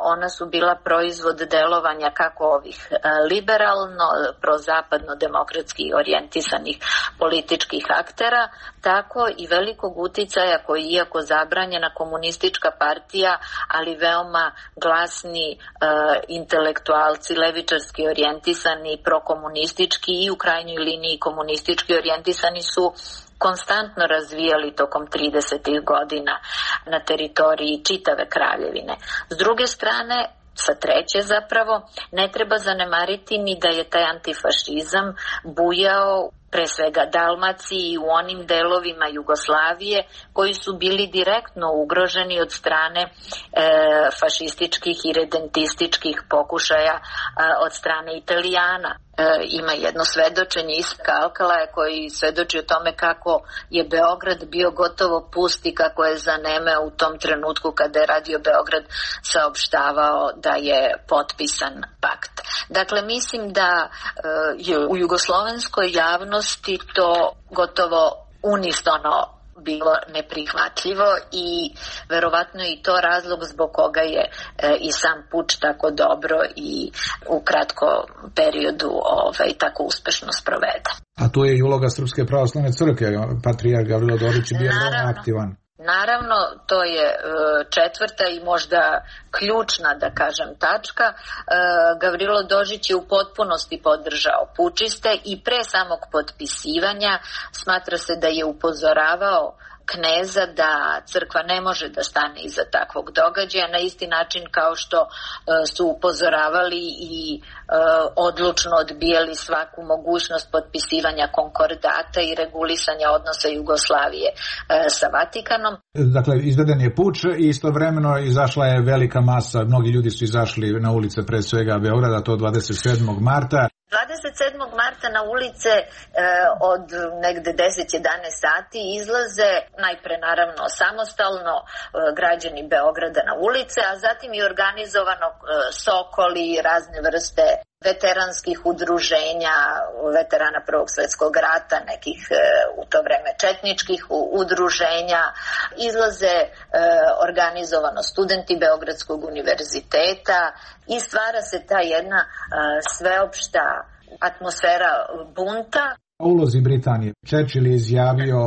ona su bila proizvod delovanja kako ovih liberalno, prozapadno demokratski orijentisanih političkih aktera, tako i velikog uticaja koji, iako zabranjena komunistička partija, ali veoma glasni intelektualci, levičarski orijentisani, prokomunistički i u krajnjoj liniji komunistički orijentisani su konstantno razvijali tokom tridesetih godina na teritoriji čitave Kraljevine. S druge strane, sa treće zapravo, ne treba zanemariti ni da je taj antifašizam bujao pre svega Dalmaciji i u onim delovima Jugoslavije koji su bili direktno ugroženi od strane e, fašističkih i redentističkih pokušaja e, od strane Italijana. E, ima jedno svedočenje Isaka Alkalaja koji svedoči o tome kako je Beograd bio gotovo pust i kako je zanemeo u tom trenutku kada je Radio Beograd saopštavao da je potpisan pakt. Dakle, mislim da e, je u jugoslovenskoj javnosti to gotovo unisono bilo neprihvatljivo i verovatno i to razlog zbog koga je e, i sam puč tako dobro i u kratkom periodu ovaj, tako uspešno sproveden. A tu je i uloga Srpske pravoslavne crkve, patrijarh Gavrilo Dodić je bio veoma aktivan. Naravno, to je četvrta i možda ključna, da kažem, tačka. Gavrilo Dodić je u potpunosti podržao pučiste i pre samog potpisivanja smatra se da je upozoravao kneza da crkva ne može da stane iza takvog događaja na isti način kao što uh, su upozoravali i uh, odlučno odbijali svaku mogućnost potpisivanja konkordata i regulisanja odnosa Jugoslavije uh, sa Vatikanom. Dakle, izveden je puč i istovremeno izašla je velika masa, mnogi ljudi su izašli na ulice pre svega Beograda, to dvadeset sedmog marta. dvadeset sedmog marta na ulice e, od negde deset jedanaest sati izlaze najpre naravno samostalno e, građani Beograda na ulice, a zatim i organizovano e, Sokoli, razne vrste veteranskih udruženja, veterana Prvog svetskog rata, nekih e, u to vreme četničkih udruženja, izlaze e, organizovano studenti Beogradskog univerziteta i stvara se ta jedna e, sveopšta atmosfera bunta. O ulozi Britanije. Churchill je izjavio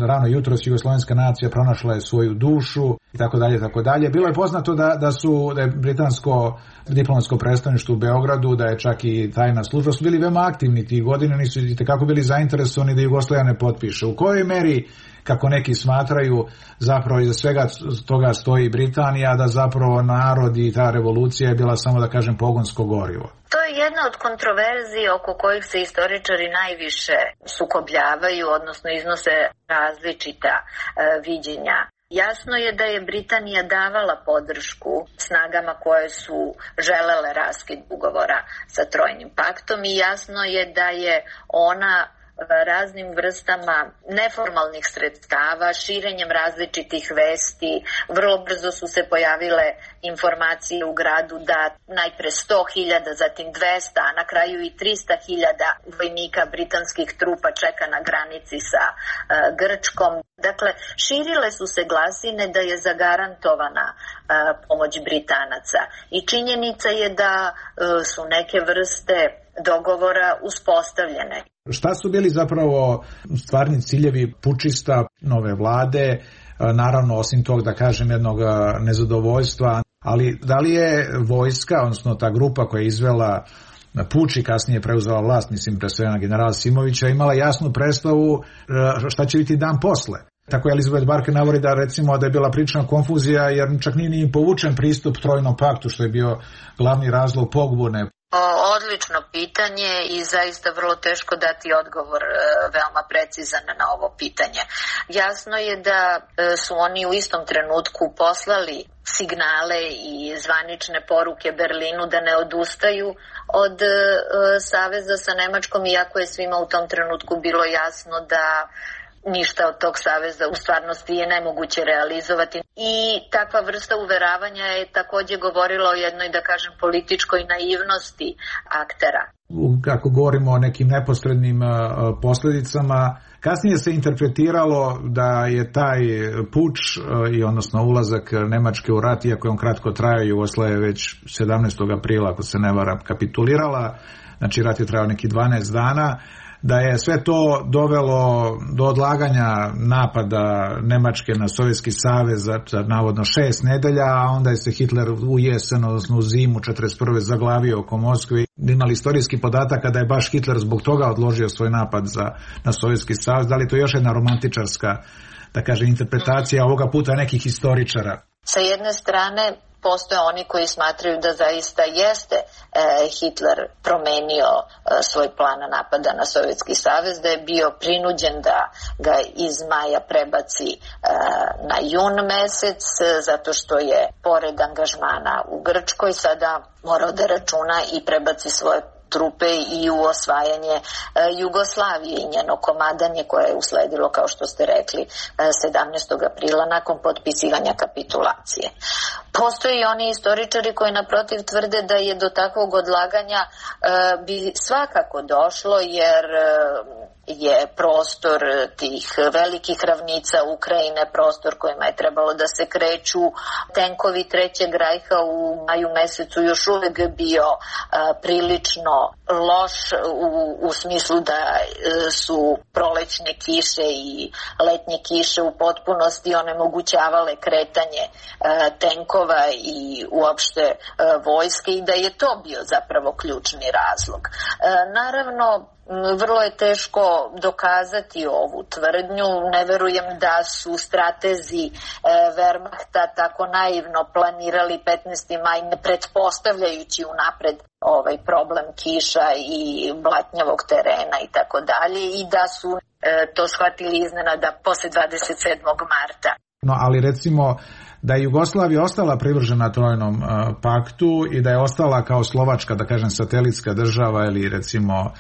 rano jutros jugoslovenska nacija pronašla je svoju dušu i tako dalje, tako dalje. Bilo je poznato da, da su da je britansko diplomatsko predstavništvo u Beogradu, da je čak i tajna služba, su bili veoma aktivni tih godina, nisu i tekako bili zainteresovani da Jugoslavija ne potpiše. U kojoj meri kako neki smatraju, zapravo iza svega toga stoji Britanija, da zapravo narod i ta revolucija je bila samo, da kažem, pogonsko gorivo. To je jedna od kontroverzija oko kojih se istoričari najviše sukobljavaju, odnosno iznose različita e, viđenja. Jasno je da je Britanija davala podršku snagama koje su želele raskid ugovora sa Trojnim paktom i jasno je da je ona raznim vrstama neformalnih sredstava, širenjem različitih vesti. Vrlo brzo su se pojavile informacije u gradu da najpre sto hiljada, zatim dvesta, a na kraju i trista hiljada vojnika britanskih trupa čeka na granici sa uh, Grčkom. Dakle, širile su se glasine da je zagarantovana uh, pomoć Britanaca i činjenica je da uh, su neke vrste dogovora uspostavljene. Šta su bili zapravo stvarni ciljevi pučista nove vlade, naravno osim tog, da kažem, jednog nezadovoljstva, ali da li je vojska, odnosno ta grupa koja je izvela puč i kasnije preuzela vlast, mislim pre svega generala Simovića, imala jasnu predstavu šta će biti dan posle? Tako je Elizabeth Barker navodi da recimo da je bila prilična konfuzija jer čak nije ni povučen pristup Trojnom paktu, što je bio glavni razlog pobune. Odlično pitanje i zaista vrlo teško dati odgovor veoma precizan na ovo pitanje. Jasno je da su oni u istom trenutku poslali signale i zvanične poruke Berlinu da ne odustaju od saveza sa Nemačkom, iako je svima u tom trenutku bilo jasno da ništa od tog saveza u stvarnosti je nemoguće realizovati. I takva vrsta uveravanja je takođe govorila o jednoj, da kažem, političkoj naivnosti aktera. Kako govorimo o nekim neposrednim posljedicama, kasnije se interpretiralo da je taj puč i odnosno ulazak Nemačke u rat, iako je on kratko trajao, Jugoslavija već sedamnaestog aprila, ako se ne varam, kapitulirala, znači rat je trajao neki dvanaest dana, da je sve to dovelo do odlaganja napada Nemačke na Sovjetski savez za, za navodno šest nedelja, a onda je se Hitler u jesen, odnosno u zimu četrdeset prve zaglavio oko Moskve. Imali istorijski podatak da je baš Hitler zbog toga odložio svoj napad za, na Sovjetski savez. Da li to još jedna romantičarska, da kažem, interpretacija ovoga puta nekih historičara? Sa jedne strane postoje oni koji smatraju da zaista jeste e, Hitler promenio e, svoj plan napada na Sovjetski savez, da je bio prinuđen da ga iz maja prebaci e, na jun mesec, zato što je pored angažmana u Grčkoj sada morao da računa i prebaci svoje trupe i u osvajanje e, Jugoslavije i njeno komadanje koje je usledilo, kao što ste rekli, e, sedamnaestog aprila nakon potpisivanja kapitulacije. Postoji i oni istoričari koji naprotiv tvrde da je do takvog odlaganja e, bi svakako došlo, jer e, je prostor tih velikih ravnica Ukrajine prostor kojima je trebalo da se kreću tenkovi Trećeg rajha u maju mesecu još uvek bio a, prilično loš u, u smislu da a, su prolećne kiše i letnje kiše u potpunosti onemogućavale kretanje a, tenkova i uopšte a, vojske i da je to bio zapravo ključni razlog. A, naravno, vrlo je teško dokazati ovu tvrdnju. Ne verujem da su stratezi e, Wehrmachta tako naivno planirali petnaesti maj, ne pretpostavljajući unapred ovaj problem kiša i blatnjavog terena i tako dalje, i da su e, to shvatili iznenada posle dvadeset sedmog marta. No, ali recimo da je Jugoslavija ostala privržena Trojnom uh, paktu i da je ostala kao Slovačka, da kažem, satelitska država ili recimo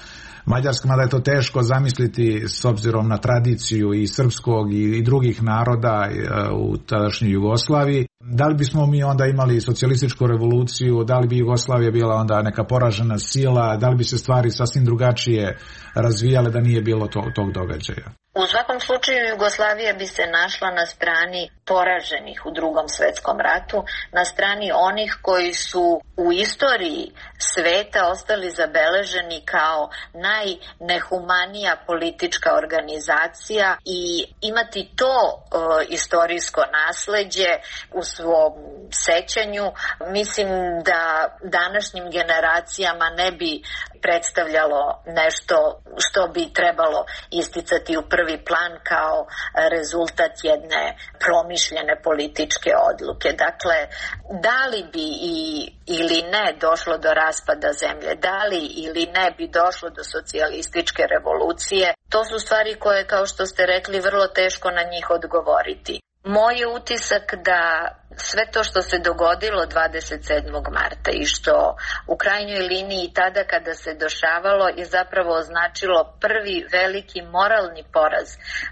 Mađarska, mada je to teško zamisliti s obzirom na tradiciju i srpskog i, i drugih naroda uh, u tadašnjoj Jugoslaviji. Da li bismo mi onda imali socijalističku revoluciju, da li bi Jugoslavija bila onda neka poražena sila, da li bi se stvari sasvim drugačije razvijale da nije bilo to, tog događaja? U svakom slučaju Jugoslavija bi se našla na strani poraženih u Drugom svetskom ratu, na strani onih koji su u istoriji sveta ostali zabeleženi kao najnehumanija politička organizacija i imati to e, istorijsko nasleđe u svom sećanju, mislim da današnjim generacijama ne bi predstavljalo nešto što bi trebalo isticati u prvi plan kao rezultat jedne promišljene političke odluke. Dakle, da li bi i, ili ne došlo do raspada zemlje, da li ili ne bi došlo do socijalističke revolucije, to su stvari koje, kao što ste rekli, vrlo teško na njih odgovoriti. Moj je utisak da sve to što se dogodilo dvadeset sedmog marta i što u krajnjoj liniji tada kada se dešavalo je zapravo označilo prvi veliki moralni poraz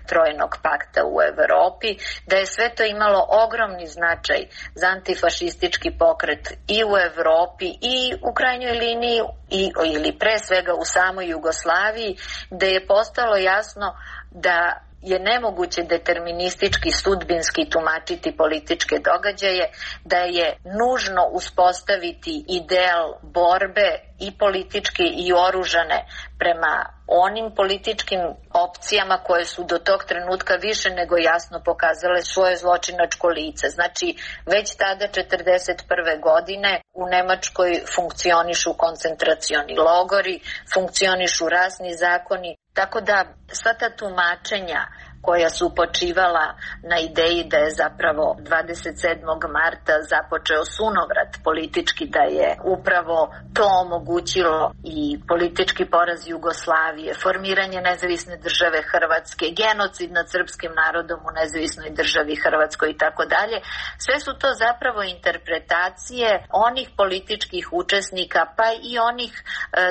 Trojnog pakta u Evropi, da je sve to imalo ogromni značaj za antifašistički pokret i u Evropi i u krajnjoj liniji i, ili pre svega u samoj Jugoslaviji, gde je postalo jasno da je nemoguće deterministički, sudbinski tumačiti političke događaje, da je nužno uspostaviti ideal borbe i političke i oružane prema onim političkim opcijama koje su do tog trenutka više nego jasno pokazale svoje zločinačko lice. Znači, već tada četrdeset prve godine u Nemačkoj funkcionišu koncentracioni logori, funkcionišu rasni zakoni, tako da sva ta tumačenja koja su počivala na ideji da je zapravo dvadeset sedmog marta započeo sunovrat politički, da je upravo to omogućilo i politički poraz Jugoslavije, formiranje nezavisne države Hrvatske, genocid nad srpskim narodom u nezavisnoj državi Hrvatskoj i tako dalje. Sve su to zapravo interpretacije onih političkih učesnika, pa i onih,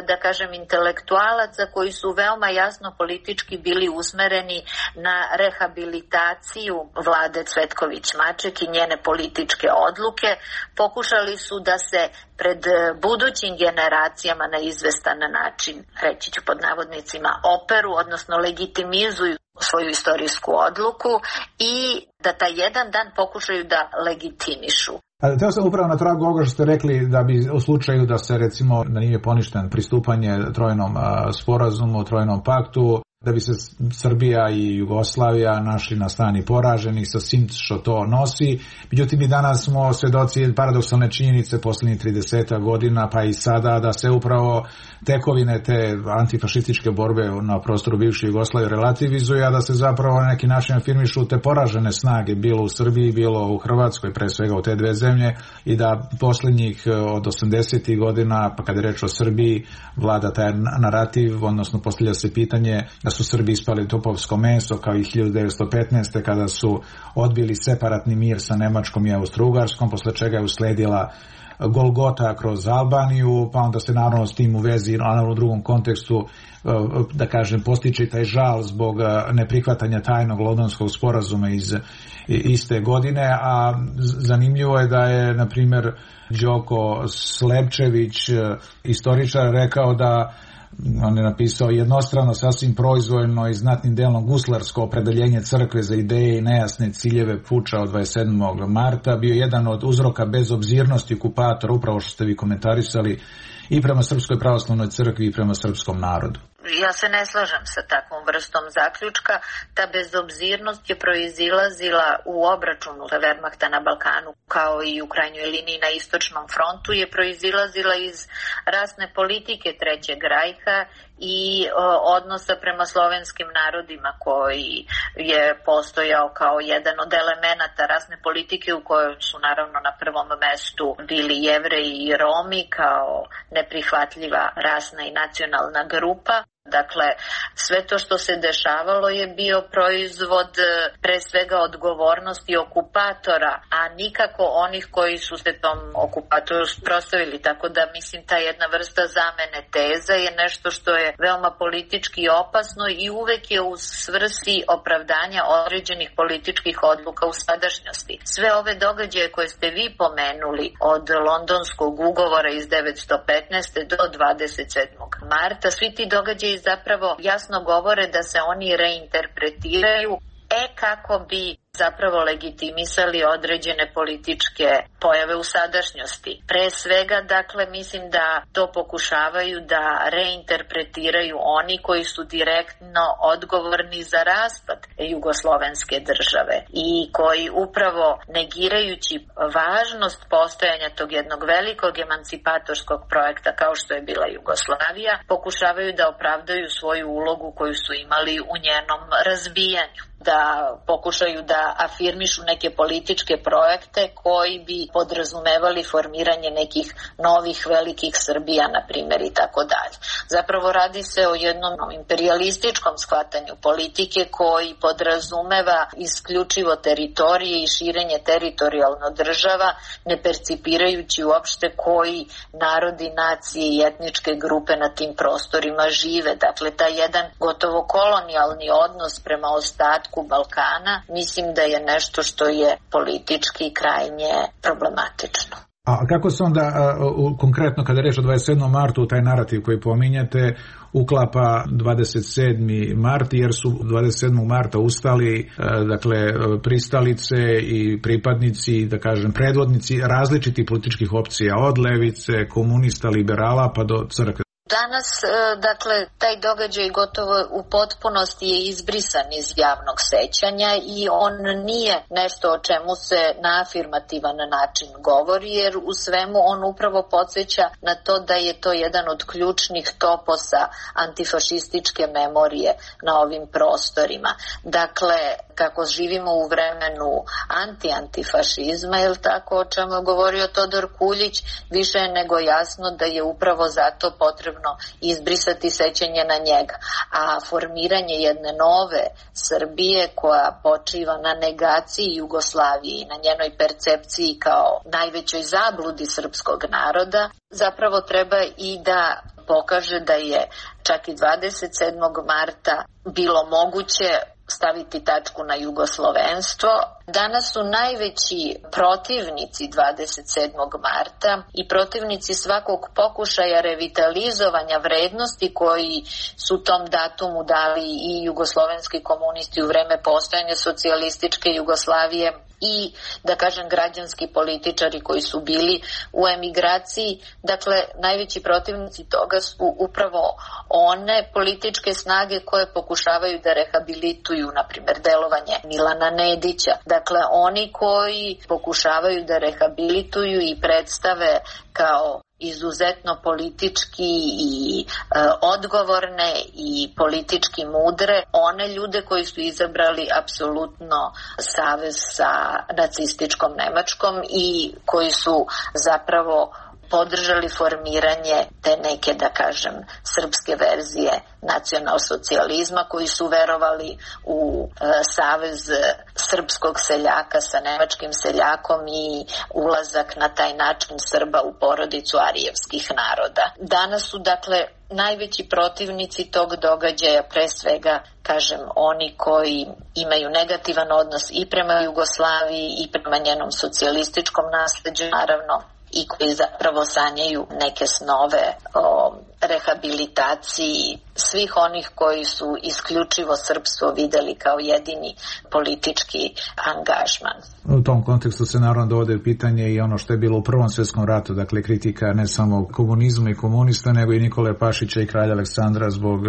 da kažem, intelektualaca koji su veoma jasno politički bili usmereni na rehabilitaciju vlade Cvetković-Maček i njene političke odluke. Pokušali su da se pred budućim generacijama na izvestan način, reći ću pod navodnicima, operu, odnosno legitimizuju svoju istorijsku odluku i da taj jedan dan pokušaju da legitimišu. Teo sam upravo na tragu ovoga što ste rekli da bi u slučaju da se recimo da nije poništen pristupanje Trojnom sporazumu, Trojnom paktu, da bi se Srbija i Jugoslavija našli na strani poraženih sa svim što to nosi. Međutim, i danas smo svedoci paradoksalne činjenice posljednjih trideset godina, pa i sada, da se upravo tekovine te antifašističke borbe na prostoru bivše Jugoslavije relativizuju, a da se zapravo na neki način afirmišu te poražene snage, bilo u Srbiji, bilo u Hrvatskoj, pre svega u te dve zemlje, i da posljednjih od osamdesetih godina, pa kada je reč o Srbiji, vlada taj narativ, odnosno postavlja se pitanje da su Srbi ispali topovsko meso, kao i hiljadu devetsto petnaeste. kada su odbili separatni mir sa Nemačkom i Austro-Ugarskom, posle čega je usledila Golgota kroz Albaniju, pa onda se naravno s tim u vezi, naravno u drugom kontekstu, da kažem, postiče taj žal zbog neprihvatanja tajnog Londonskog sporazuma iz iste godine, a zanimljivo je da je, na primjer, Đoko Slepčević, istoričar, rekao da on je napisao jednostrano, sasvim proizvoljno i znatnim delom guslarsko opredeljenje crkve za ideje i nejasne ciljeve puča od dvadeset sedmog marta bio jedan od uzroka bezobzirnosti okupatora, upravo što ste vi komentarisali, i prema Srpskoj pravoslavnoj crkvi i prema srpskom narodu. Ja se ne slažem sa takvom vrstom zaključka. Ta bezobzirnost je proizilazila u obračunu Wehrmachta na Balkanu, kao i u krajnjoj liniji na istočnom frontu, je proizilazila iz rasne politike Trećeg rajha i o, odnosa prema slovenskim narodima, koji je postojao kao jedan od elemenata rasne politike, u kojoj su naravno na prvom mestu bili Jevreji i Romi kao neprihvatljiva rasna i nacionalna grupa. Dakle, sve to što se dešavalo je bio proizvod pre svega odgovornosti okupatora, a nikako onih koji su se tom okupatoru prostavili. Tako da, mislim, ta jedna vrsta zamene teza je nešto što je veoma politički opasno i uvek je u svrsi opravdanja određenih političkih odluka u sadašnjosti. Sve ove događaje koje ste vi pomenuli, od Londonskog ugovora iz devetsto petnaeste. do dvadeset sedmog marta, svi ti događaji zapravo jasno govore da se oni reinterpretiraju, e kako bi zapravo legitimisali određene političke pojave u sadašnjosti. Pre svega, dakle, mislim da to pokušavaju da reinterpretiraju oni koji su direktno odgovorni za raspad jugoslovenske države i koji upravo negirajući važnost postojanja tog jednog velikog emancipatorskog projekta kao što je bila Jugoslavija, pokušavaju da opravdaju svoju ulogu koju su imali u njenom razbijanju, da pokušaju da afirmišu neke političke projekte koji bi podrazumevali formiranje nekih novih velikih Srbija, na primjer, i tako dalje. Zapravo radi se o jednom imperialističkom shvatanju politike koji podrazumeva isključivo teritorije i širenje teritorijalno država, ne percipirajući uopšte koji narodi, nacije i etničke grupe na tim prostorima žive. Dakle, taj jedan gotovo kolonijalni odnos prema ostatku Balkana, mislim da je nešto što je politički krajnje problematično. A kako se onda, a, u, konkretno kada je reč o dvadeset sedmom martu, taj narativ koji pominjete, uklapa dvadeset sedmi mart, jer su dvadeset sedmog marta ustali, a, dakle, pristalice i pripadnici, da kažem, predvodnici različitih političkih opcija, od levice, komunista, liberala, pa do crkve. Danas, dakle, taj događaj gotovo u potpunosti je izbrisan iz javnog sećanja i on nije nešto o čemu se na afirmativan način govori, jer u svemu on upravo podsjeća na to da je to jedan od ključnih toposa antifašističke memorije na ovim prostorima. Dakle, kako živimo u vremenu anti-antifašizma, je li tako, o čemu je govorio Todor Kuljić, više je nego jasno da je upravo zato potrebno izbrisati sećanje na njega. A formiranje jedne nove Srbije koja počiva na negaciji Jugoslavije i na njenoj percepciji kao najvećoj zabludi srpskog naroda, zapravo treba i da pokaže da je čak i dvadeset sedmog marta bilo moguće staviti tačku na jugoslovenstvo. Danas su najveći protivnici dvadeset sedmog marta i protivnici svakog pokušaja revitalizovanja vrednosti koji su tom datumu dali i jugoslovenski komunisti u vreme postojanja socijalističke Jugoslavije i, da kažem, građanski političari koji su bili u emigraciji. Dakle, najveći protivnici toga su upravo one političke snage koje pokušavaju da rehabilituju, na primjer, delovanje Milana Nedića. Dakle, oni koji pokušavaju da rehabilituju i predstave kao izuzetno politički i e, odgovorne i politički mudre one ljude koji su izabrali apsolutno savez sa nacističkom Nemačkom i koji su zapravo podržali formiranje te neke, da kažem, srpske verzije nacionalsocijalizma, koji su verovali u e, savez srpskog seljaka sa nemačkim seljakom i ulazak na taj način Srba u porodicu arijevskih naroda. Danas su, dakle, najveći protivnici tog događaja pre svega, kažem, oni koji imaju negativan odnos i prema Jugoslaviji i prema njenom socijalističkom nasleđu, naravno, i koji zapravo sanjaju neke snove o rehabilitaciji svih onih koji su isključivo srpstvo videli kao jedini politički angažman. U tom kontekstu se naravno dovode pitanje i ono što je bilo u Prvom svjetskom ratu, dakle kritika ne samo komunizma i komunista, nego i Nikole Pašića i kralja Aleksandra zbog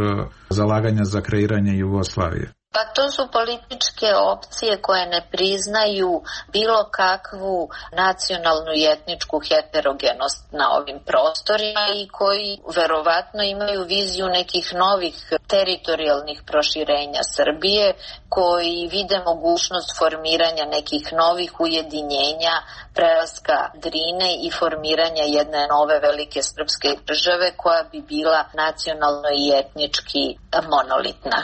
zalaganja za kreiranje Jugoslavije. Pa to su političke opcije koje ne priznaju bilo kakvu nacionalnu i etničku heterogenost na ovim prostorima i koji verovatno imaju viziju nekih novih teritorijalnih proširenja Srbije, koji vide mogućnost formiranja nekih novih ujedinjenja, prelaska Drine i formiranja jedne nove velike srpske države koja bi bila nacionalno i etnički monolitna.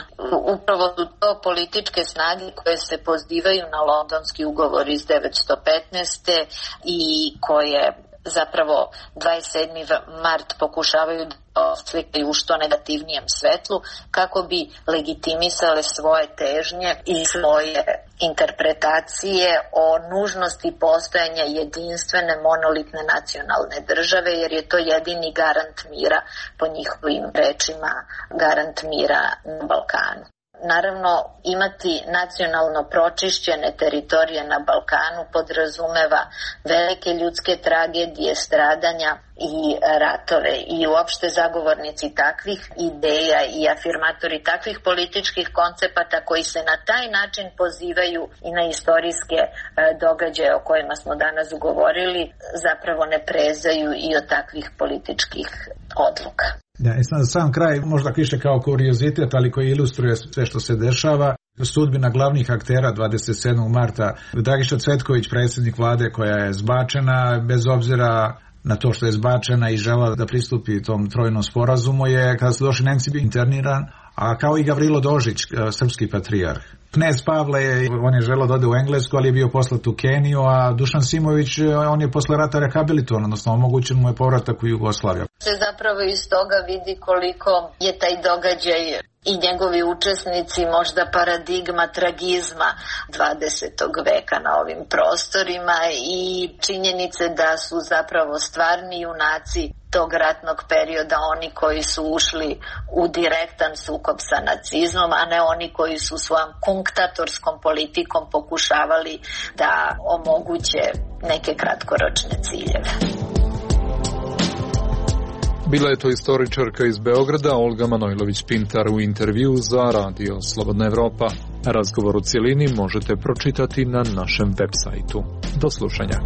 Upravo su to političke snage koje se pozivaju na Londonski ugovor iz devetsto petnaeste i koje zapravo dvadeset sedmi mart pokušavaju da oslikaju u što negativnijem svetlu kako bi legitimisale svoje težnje i svoje interpretacije o nužnosti postojanja jedinstvene monolitne nacionalne države, jer je to jedini garant mira, po njihovim rečima, garant mira na Balkanu. naravno imati nacionalno pročišćene teritorije na Balkanu podrazumeva velike ljudske tragedije, stradanja i ratove i uopšte zagovornici takvih ideja i afirmatori takvih političkih koncepata koji se na taj način pozivaju i na istorijske događaje o kojima smo danas ugovorili zapravo ne prezaju i od takvih političkih odluka. Ja, i sam, sam kraj, možda više kao kuriozitet, ali koji ilustruje sve što se dešava, sudbina glavnih aktera dvadeset sedmog marta. Dragiša Cvetković, predsjednik vlade koja je zbačena, bez obzira na to što je zbačena i žela da pristupi tom trojnom sporazumu, je kada su došli Nemci bio interniran, a kao i Gavrilo Dožić, srpski patrijarh. Knez Pavle, on je želeo da ode u Englesku, ali je bio poslat u Keniju, a Dušan Simović, on je posle rata rehabilitovan, odnosno omogućen mu je povratak u Jugoslaviju. Se zapravo iz toga vidi koliko je taj događaj i njegovi učesnici možda paradigma tragizma dvadesetog veka na ovim prostorima i činjenice da su zapravo stvarni junaci tog ratnog perioda oni koji su ušli u direktan sukob sa nacizmom, a ne oni koji su svojom kunktatorskom politikom pokušavali da omoguće neke kratkoročne ciljeve. Bila je to istoričarka iz Beograda, Olga Manojlović-Pintar, u intervju za Radio Slobodna Evropa. Razgovor u cijelini možete pročitati na našem web sajtu. Do slušanja.